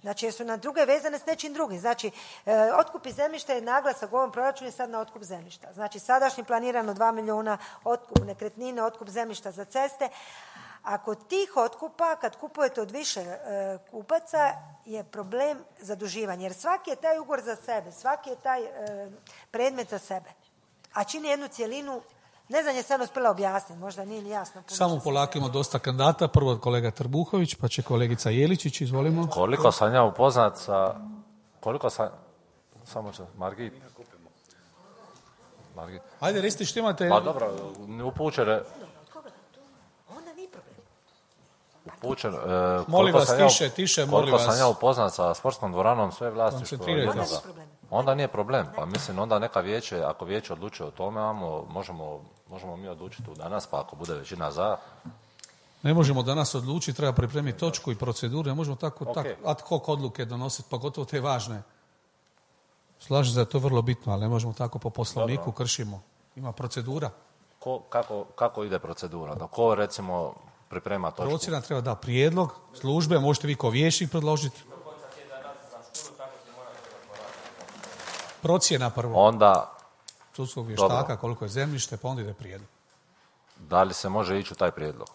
Znači, jer su na druge vezane s nečim drugim. Znači, e, otkupi zemljišta je naglasak u ovom proračunu je sad na otkup zemljišta. Znači, sadašnji planirano dva milijuna otkup nekretnine, otkup zemljišta za ceste. A kod tih otkupa, kad kupujete od više e, kupaca, je problem zaduživanja. Jer svaki je taj ugovor za sebe, svaki je taj e, predmet za sebe. A čini jednu cjelinu, ne znam je se ono uspjela objasniti, možda nije ni jasno. Samo polako ima dosta kandidata, prvo kolega Trbuhović, pa će kolegica Jeličić, izvolimo. Koliko sam ja upoznat sa, koliko sam, samo će, Margit. Margit. Ajde, recite što imate. Pa dobro, upućene. Onda nije problem. Upućen, e, molim vas, ja, tiše, tiše, molim vas. Koliko sam ja upoznat sa sportskom dvoranom, sve vlasništvo jednoga. Onda nije problem, pa mislim onda neka vijeće, ako vijeće odlučuje o tome, amo, možemo, možemo mi odlučiti tu danas, pa ako bude većina za. Ne možemo danas odlučiti, treba pripremiti točku i proceduru, ne možemo tako, okay. tako ad hoc odluke donositi, pogotovo te važne. Slažem se da je to vrlo bitno, ali ne možemo tako po poslovniku, dobro. Kršimo. Ima procedura. Ko, kako, kako ide procedura? Da ko recimo priprema točku? Procjena treba da prijedlog, službe, možete vi kao vijećnik predložiti. Procjena prvo. Onda sudskog vještaka, koliko je zemljište, pa onda ide prijedlog. Da li se može ići u taj prijedlog?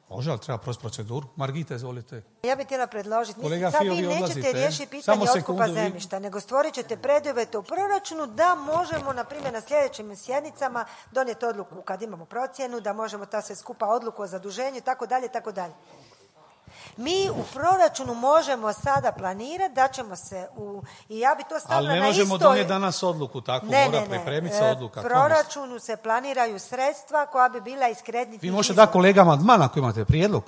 Može, ali treba proći proceduru. Margita, izvolite. Ja bih htjela predložiti. Mislim, sad vi nećete riješiti pitanje otkupa zemljišta, nego stvorit ćete preduvjete u proračunu da možemo, na primjer, na sljedećim sjednicama donijeti odluku kad imamo procjenu, da možemo ta sve skupa odluku o zaduženju, tako dalje, tako dalje. Mi u proračunu možemo sada planirati da ćemo se u... I ja bi to stavila na istoj... Ali ne možemo istoj... donijeti danas odluku, tako ne, mora ne, ne. pripremiti se odluka. U proračunu se planiraju sredstva koja bi bila iz kreditnih Vi možete dati kolegama amandman ako imate prijedlog.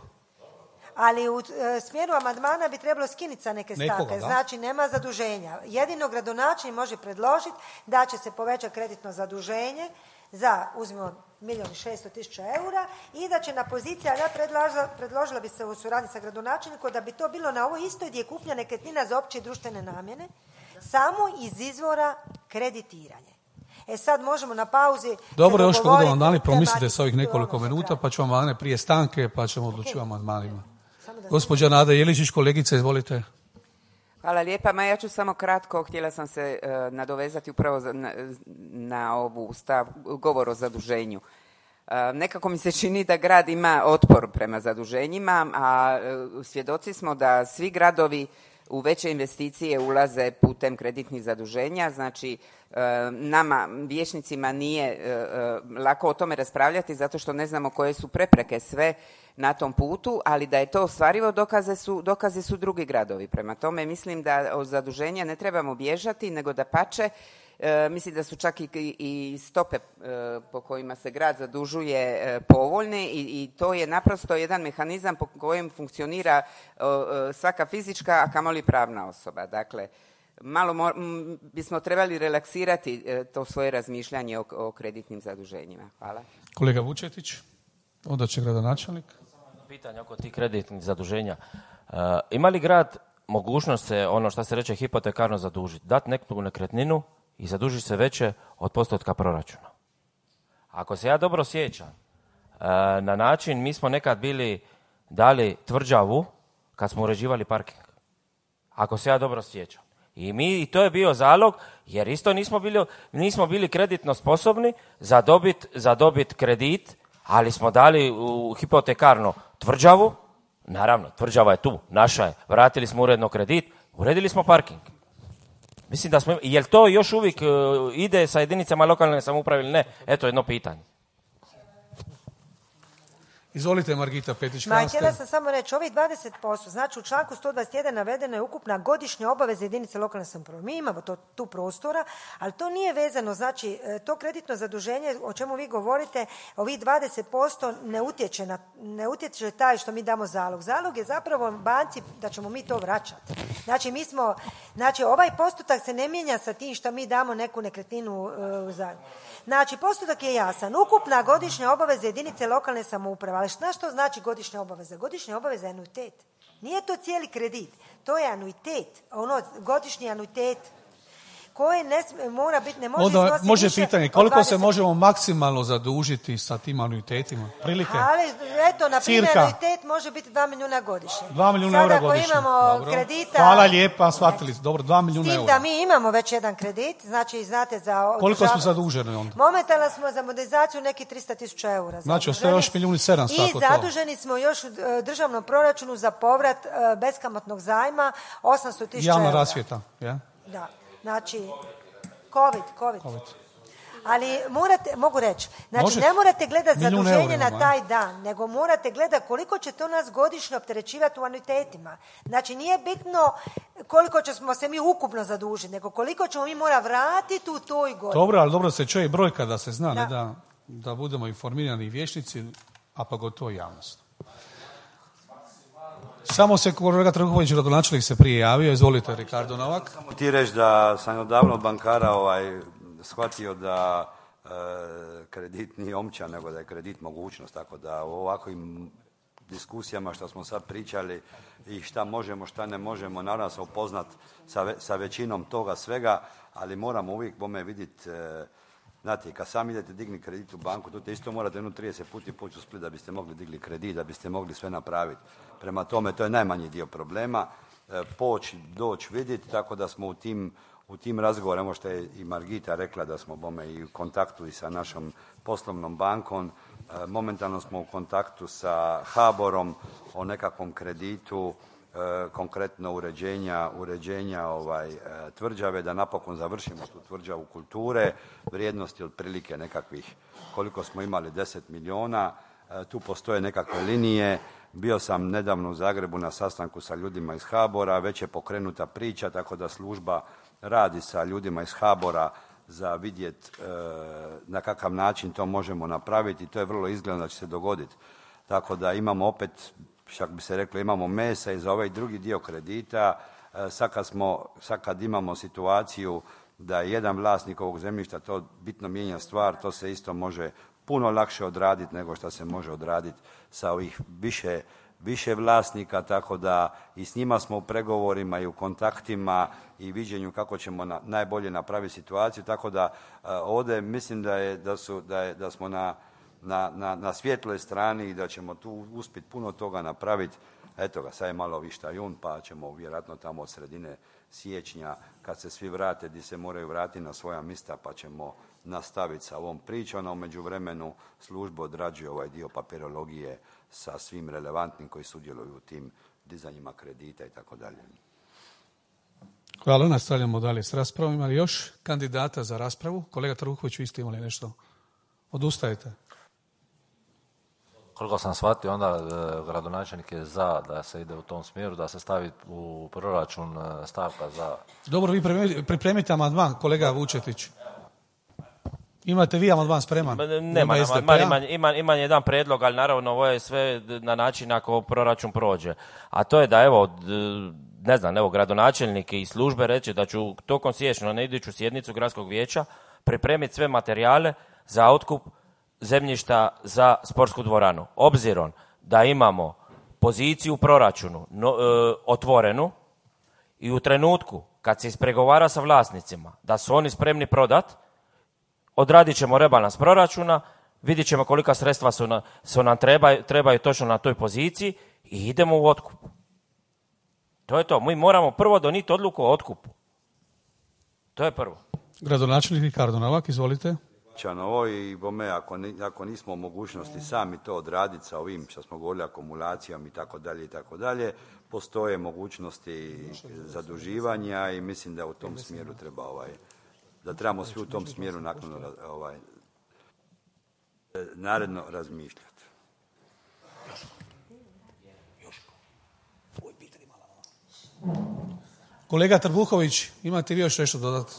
Ali u e, smjeru amandmana bi trebalo skinuti sa neke stavke. Nekoga, znači, nema zaduženja. Jedino gradonačelnik može predložiti da će se povećati kreditno zaduženje za, uzmimo, milijun i šesto tisuća eura i da će na poziciji, ali ja predlažila, predložila bi se u suradnji sa gradonačelnikom da bi to bilo na ovoj istoj gdje je kupnja nekretnina za opće i društvene namjene, samo iz izvora kreditiranje. E sad možemo na pauzi... Dobro, još kad budemo amandmani, promislite sa ovih nekoliko minuta, pa ćemo amandmane prije stanke, pa ćemo odlučiti o amandmanima. Gospođa Nada Jeličić, kolegice, izvolite. Hvala lijepa, ma ja ću samo kratko, htjela sam se uh, nadovezati upravo za, na, na ovu stav, govor o zaduženju. Uh, nekako mi se čini da grad ima otpor prema zaduženjima, a uh, svjedoci smo da svi gradovi u veće investicije ulaze putem kreditnih zaduženja, znači uh, nama, vijećnicima, nije uh, lako o tome raspravljati zato što ne znamo koje su prepreke sve na tom putu, ali da je to ostvarivo dokaze su, dokazi su drugi gradovi. Prema tome mislim da od zaduženja ne trebamo bježati, nego dapače E, mislim da su čak i, i stope e, po kojima se grad zadužuje e, povoljne i, i to je naprosto jedan mehanizam po kojem funkcionira e, svaka fizička, a kamoli pravna osoba. Dakle, malo mo, m, bismo trebali relaksirati e, to svoje razmišljanje o, o kreditnim zaduženjima. Hvala. Kolega Vučetić, onda će gradonačelnik. Pitanje oko tih kreditnih zaduženja. Uh, ima li grad mogućnost se, ono što se reče, hipotekarno zadužiti, dati neku nekretninu i zadužiti se veće od postotka proračuna? Ako se ja dobro sjećam, uh, na način mi smo nekad bili dali tvrđavu kad smo uređivali parking. Ako se ja dobro sjećam. I mi, i to je bio zalog, jer isto nismo bili, nismo bili kreditno sposobni za dobit, za dobit kredit, ali smo dali u hipotekarno tvrđavu, naravno, tvrđava je tu, naša je, vratili smo uredno kredit, uredili smo parking. Mislim da smo, jel to još uvijek uh, ide sa jedinicama lokalne samouprave ili ne? Eto jedno pitanje. Izvolite, Margita Petić. Ma, htjela sam samo reći, ovih dvadeset posto, znači u članku sto dvadeset jedan navedena je ukupna godišnja obaveza jedinice lokalne samouprave. Mi imamo to, tu prostora, ali to nije vezano, znači to kreditno zaduženje o čemu vi govorite, ovih dvadeset posto ne utječe, na, ne utječe taj što mi damo zalog. Zalog je zapravo banci da ćemo mi to vraćati. Znači mi smo, znači ovaj postotak se ne mijenja sa tim što mi damo neku nekretninu uh, za. Znači postotak je jasan. Ukupna godišnja obaveza jedinice lokalne samouprave. Ali šta što znači godišnja obaveza? Godišnja obaveza je anuitet. Nije to cijeli kredit. To je anuitet. Ono, godišnji anuitet koji ne mora biti, ne može Onda iznositi može više pitanje, koliko se možemo maksimalno zadužiti sa tim anuitetima? Prilike? Ali, eto, na primjer, Cirka. anuitet može biti dva milijuna godišnje. dva milijuna Sada, eura ako godišnje. imamo Dobro. kredita... Hvala lijepa, shvatili. Dobro, dva S milijuna tim eura. da mi imamo već jedan kredit, znači, znate, za... Koliko održav- smo zaduženi onda? Momentalno smo za modernizaciju neki tristo tisuća eura. Znači, ostaje zaduženi. još milijun i sedamsto, I ako to. zaduženi smo još u e, državnom proračunu za povrat e, beskamatnog zajma osamsto tisuća eura. Javna rasvjeta, ja? Da, znači, COVID, COVID. COVID. Ali morate, mogu reći, znači Možete. ne morate gledati Milijun zaduženje eura na imamo, taj dan, nego morate gledati koliko će to nas godišnje opterećivati u anuitetima. Znači nije bitno koliko ćemo se mi ukupno zadužiti, nego koliko ćemo mi mora vratiti u toj godini. Dobro, ali dobro se čuje brojka da se zna, Da. ne da, da budemo informirani i vješnici, a pogotovo javnost. Samo se kolega Trbuhović, gradonačelnik, se prije javio. Izvolite, Ricardo Novak. Samo ti reći da sam odavno od bankara ovaj, shvatio da e, kredit nije omča, nego da je kredit mogućnost. Tako da u ovakvim diskusijama što smo sad pričali i šta možemo, šta ne možemo, naravno se upoznat sa, ve, sa većinom toga svega, ali moramo uvijek bome vidjeti, e, znate, kad sam idete digni kredit u banku, tu te isto morate jedno trideset puta poći u Split da biste mogli digli kredit, da biste mogli sve napraviti. Prema tome, to je najmanji dio problema. E, poći, doći, vidjeti, tako da smo u tim, u tim razgovorima, što je i Margita rekla, da smo bome i u kontaktu i sa našom poslovnom bankom. E, momentalno smo u kontaktu sa HABOR-om o nekakvom kreditu, e, konkretno uređenja, uređenja ovaj, e, tvrđave, da napokon završimo tu tvrđavu kulture, vrijednosti otprilike nekakvih, koliko smo imali, deset milijuna. E, tu postoje nekakve linije. Bio sam nedavno u Zagrebu na sastanku sa ljudima iz HABOR-a, već je pokrenuta priča, tako da služba radi sa ljudima iz HABOR-a za vidjeti e, na kakav način to možemo napraviti i to je vrlo izgledno da će se dogoditi. Tako da imamo opet, šak bi se reklo, imamo mesa i za ovaj drugi dio kredita. E, sad, kad smo, sad kad imamo situaciju da je jedan vlasnik ovog zemljišta, to bitno mijenja stvar, to se isto može puno lakše odraditi nego što se može odraditi sa ovih više, više vlasnika, tako da i s njima smo u pregovorima i u kontaktima i viđenju kako ćemo na, najbolje napraviti situaciju, tako da uh, ovdje mislim da, je, da, su, da, je, da smo na, na, na, na svjetloj strani i da ćemo tu uspjeti puno toga napraviti. Eto ga, sad je malo višta jun, pa ćemo vjerojatno tamo od sredine siječnja, kad se svi vrate, di se moraju vratiti na svoja mista, pa ćemo nastaviti sa ovom pričom, a u međuvremenu služba odrađuje ovaj dio papirologije sa svim relevantnim koji sudjeluju u tim dizanjima kredita i tako dalje. Hvala, nastavljamo dalje s raspravom. Ima li još kandidata za raspravu? Kolega Trbuhović, vi ste imali nešto? Odustajete? koliko sam shvatio, onda e, gradonačelnik je za da se ide u tom smjeru, da se stavi u proračun e, stavka za... Dobro, vi pripremite, pripremite amandman, kolega Vučetić. Imate vi amandman spreman? Nema, amandman, ima, ima, ima jedan predlog, ali naravno ovo je sve na način ako proračun prođe. A to je da, evo, ne znam, evo, gradonačelnik i službe reće da ću tokom siječnja na iduću sjednicu gradskog vijeća pripremiti sve materijale za otkup zemljišta za sportsku dvoranu. Obzirom da imamo poziciju u proračunu no, e, otvorenu i u trenutku kad se ispregovara sa vlasnicima da su oni spremni prodat, odradit ćemo rebalans proračuna, vidjet ćemo kolika sredstva su, na, su nam trebaju, trebaju točno na toj poziciji i idemo u otkup. To je to. Mi moramo prvo donijeti odluku o otkupu. To je prvo. Gradonačelnik Ricardo Novak, izvolite. Ovo i bome, ako, ni, ako nismo u mogućnosti sami to odraditi sa ovim što smo govorili akumulacijom i tako dalje i tako dalje, postoje mogućnosti zaduživanja i mislim da u tom smjeru treba ovaj, da trebamo svi u tom smjeru naknadno ovaj, naredno razmišljati. Kolega Trbuhović, imate vi još nešto dodati?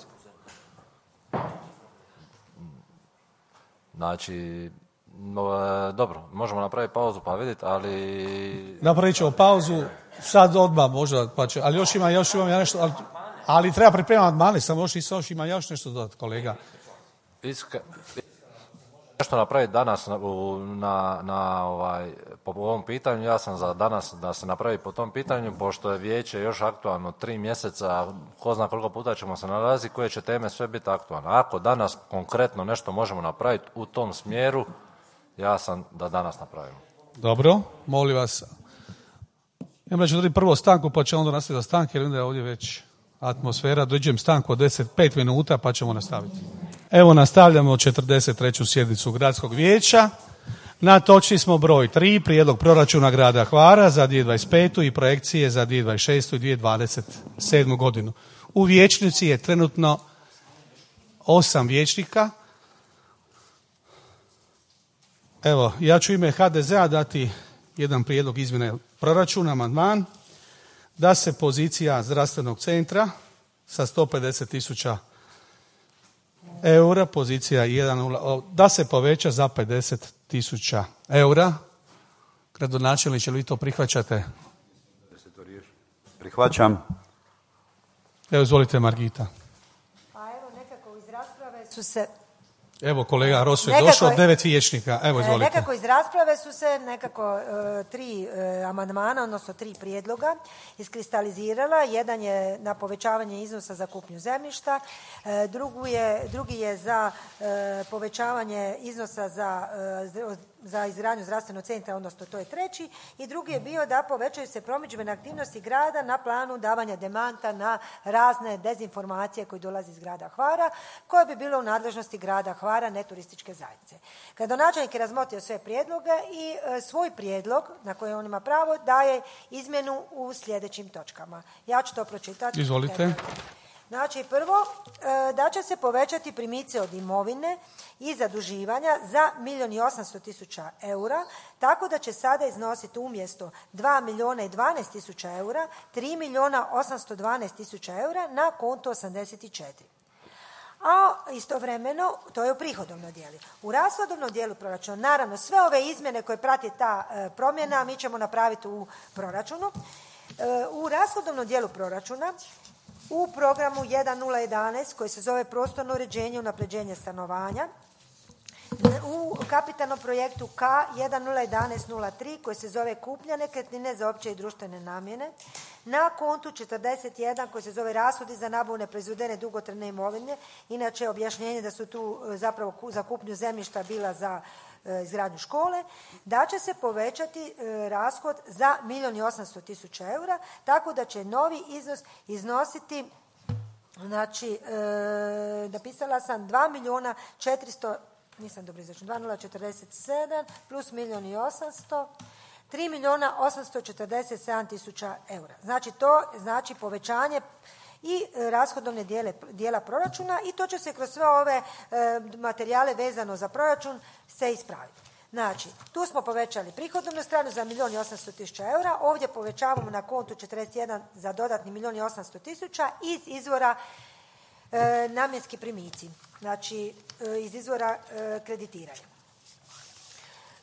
Znači, no, dobro, možemo napraviti pauzu pa vidjeti, ali... Napravit ćemo pauzu, sad odmah možda, pa će, ali još ima, još imam ja nešto, ali, ali treba pripremati amandmane, samo još, još ima još nešto dodati, kolega. Iska... Nešto napraviti danas na, na, na ovaj, po ovom pitanju, ja sam za danas da se napravi po tom pitanju, pošto je vijeće još aktualno tri mjeseca, ko zna koliko puta ćemo se nalaziti, koje će teme sve biti aktualne. Ako danas konkretno nešto možemo napraviti u tom smjeru, ja sam da danas napravimo. Dobro, molim vas. Ja ću dodati prvo stanku, pa će onda nastaviti stanke, jer onda je ovdje već atmosfera. Dođem stanku od deset pet minuta, pa ćemo nastaviti. Evo nastavljamo četrdeset treću sjednicu Gradskog vijeća. Na točci smo broj tri, prijedlog proračuna grada Hvara za dvije tisuće dvadeset petu i projekcije za dvije tisuće dvadeset šestu i dvije tisuće dvadeset sedmu godinu. U vijećnici je trenutno osam vijećnika. Evo, ja ću ime ha de zea dati jedan prijedlog izmjene proračuna, amandman, da se pozicija zdravstvenog centra sa sto pedeset tisuća eura, pozicija jedan, da se poveća za pedeset tisuća eura. Gradonačelniče, vi to prihvaćate? Prihvaćam. Evo, izvolite, Margita. Pa evo, nekako iz rasprave su se... Evo, kolega Rosu je došao, devet vijećnika. Evo, izvolite. Nekako iz rasprave su se nekako uh, tri uh, amandmana, odnosno tri prijedloga iskristalizirala. Jedan je na povećavanje iznosa za kupnju zemljišta, uh, drugu je, drugi je za uh, povećavanje iznosa za, uh, za izgradnju zdravstvenog centra, odnosno to je treći, i drugi je bio da povećaju se promidžbene aktivnosti grada na planu davanja demanta na razne dezinformacije koje dolaze iz grada Hvara, koje bi bilo u nadležnosti grada Hvara, ne turističke zajednice. Gradonačelnik je razmotrio sve prijedloge i e, svoj prijedlog, na koji on ima pravo, daje izmjenu u sljedećim točkama. Ja ću to pročitati. Izvolite. Znači, prvo, e, da će se povećati primice od imovine i zaduživanja za milijun i osamsto tisuća eura, tako da će sada iznositi umjesto dva milijuna i dvanaest tisuća eura, tri milijuna osamsto dvanaest tisuća eura na konto osamdeset četiri. A istovremeno, to je u prihodovnom dijelu. U rashodovnom dijelu proračuna, naravno, sve ove izmjene koje prati ta e, promjena mi ćemo napraviti u proračunu. E, u rashodovnom dijelu proračuna u programu jedan nula jedanaest koji se zove prostorno uređenje i unapređenje stanovanja, u kapitalnom projektu ka jedan nula jedanaest nula tri koji se zove kupnja nekretnine za opće i društvene namjene, na kontu četrdeset jedan koji se zove rashodi za nabavu neproizvedene dugotrajne imovine, inače objašnjenje da su tu zapravo za kupnju zemljišta bila za e, izgradnju škole, da će se povećati e, rashod za milijun i osamsto tisuća eura, tako da će novi iznos iznositi, znači, e, napisala sam dva milijuna četiristo, nisam dobro izračun, dva milijuna četrdeset sedam plus milijun i osamsto, tri milijuna osamsto četrdeset sedam tisuća eura. Znači, to znači povećanje i rashodovne dijele, dijela proračuna i to će se kroz sve ove e, materijale vezano za proračun se ispraviti. Znači, tu smo povećali prihodovnu stranu za milijun i osamsto tisuća eura, ovdje povećavamo na kontu četrdeset jedan za dodatni milijun i osamsto tisuća iz izvora e, namjenski primici, znači e, iz izvora e, kreditiranja.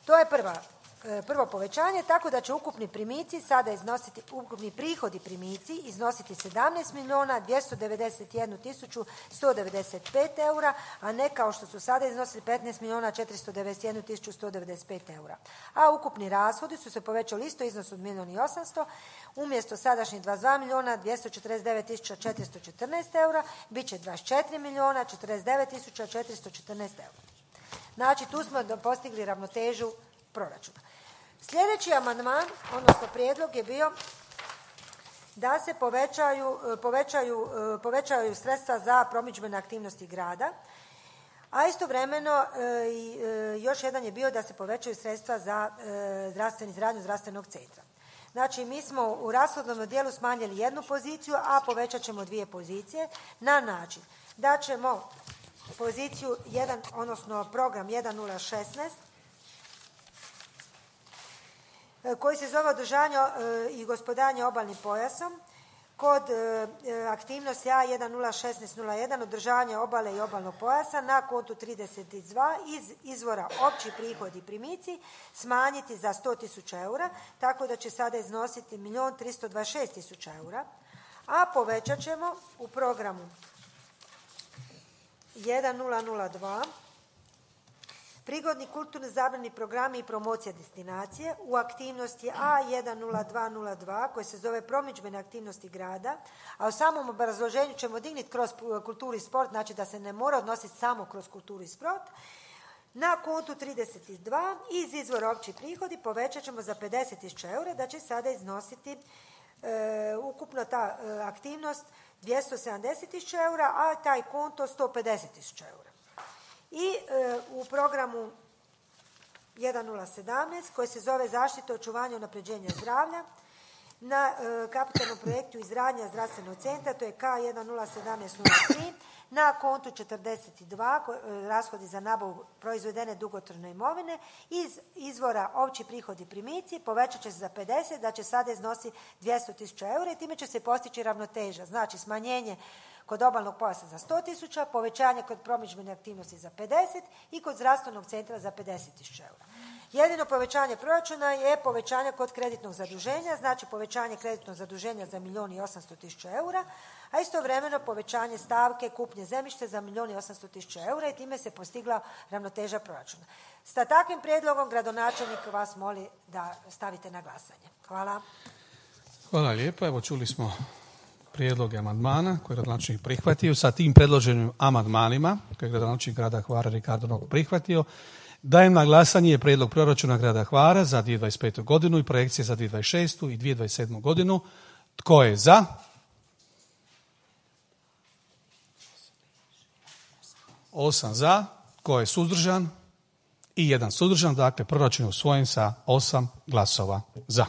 To je prva, e, prvo povećanje, tako da će ukupni primici sada iznositi, ukupni prihodi primici iznositi sedamnaest milijuna dvjesto devedeset jednu tisuću sto devedeset pet eura, a ne kao što su sada iznosili petnaest milijuna četiristo devedeset jednu tisuću sto devedeset pet eura. A ukupni rashodi su se povećali isto iznos od milijun i osamsto, umjesto sadašnjih dvadeset dva milijuna dvjesto četrdeset devet tisuća četiristo četrnaest eura, bit će dvadeset četiri milijuna četrdeset devet tisuća četiristo četrnaest eura. Znači, tu smo postigli ravnotežu proračuna. Sljedeći amandman, odnosno prijedlog je bio da se povećaju, povećaju, povećaju sredstva za promidžbene aktivnosti grada, a istovremeno još jedan je bio da se povećaju sredstva za zdravstveni izgradnju zdravstvenog centra. Znači, mi smo u rashodovnom dijelu smanjili jednu poziciju, a povećat ćemo dvije pozicije na način da ćemo poziciju jedan, odnosno program jedan nula šesnaest, koji se zove održanje i gospodarenje obalnim pojasom, kod aktivnosti A jedan nula šesnaest nula jedan održavanje obale i obalnog pojasa na kontu trideset dva iz izvora opći prihodi i primici smanjiti za sto tisuća eura, tako da će sada iznositi milijun tristo dvadeset šest tisuća eura, a povećat ćemo u programu jedan nula nula dva prigodni kulturni zabavni programi i promocija destinacije u aktivnosti A jedan nula dva nula dva koji se zove promidžbene aktivnosti grada, a u samom obrazloženju ćemo dignuti kroz kulturu i sport, znači da se ne mora odnositi samo kroz kulturu i sport, na kontu trideset dva iz izvora opći prihodi povećat ćemo za pedeset tisuća eura, da će sada iznositi e, ukupno ta e, aktivnost dvjesto sedamdeset tisuća eura, a taj konto sto pedeset tisuća eura. I e, u programu jedan nula sedamnaest koji se zove zaštita, očuvanje i unapređenje zdravlja na e, kapitalnom projektu izgradnja zdravstvenog centra, to je K jedan nula sedamnaest nula tri, na kontu četrdeset dva e, rashodi za nabavu proizvedene dugotrajne imovine iz izvora opći prihodi i primici povećat će se za pedeset, da će sada iznosi dvjesto tisuća eura i time će se postići ravnoteža, znači smanjenje kod obalnog pojasa za sto tisuća, povećanje kod promidžbene aktivnosti za pedeset i kod zdravstvenog centra za pedeset tisuća eura. Jedino povećanje proračuna je povećanje kod kreditnog zaduženja, znači povećanje kreditnog zaduženja za milijun i osamsto tisuća eura, a istovremeno povećanje stavke kupnje zemljište za milijun i osamsto tisuća eura i time se postigla ravnoteža proračuna. Sa takvim prijedlogom gradonačelnik vas moli da stavite na glasanje. Hvala. Hvala lijepa. Evo čuli smo prijedloge amandmana koje je gradonačelnik prihvatio. Sa tim predloženim amandmanima koje je gradonačelnik grada Hvara Ricardo Nog prihvatio, dajem na glasanje prijedlog proračuna grada Hvara za dvije tisuće dvadeset petu godinu i projekcije za dvije tisuće dvadeset šestu i dvije tisuće dvadeset sedmu godinu. Tko je za? Osam za. Tko je suzdržan? I jedan suzdržan. Dakle, proračun je usvojen sa osam glasova za.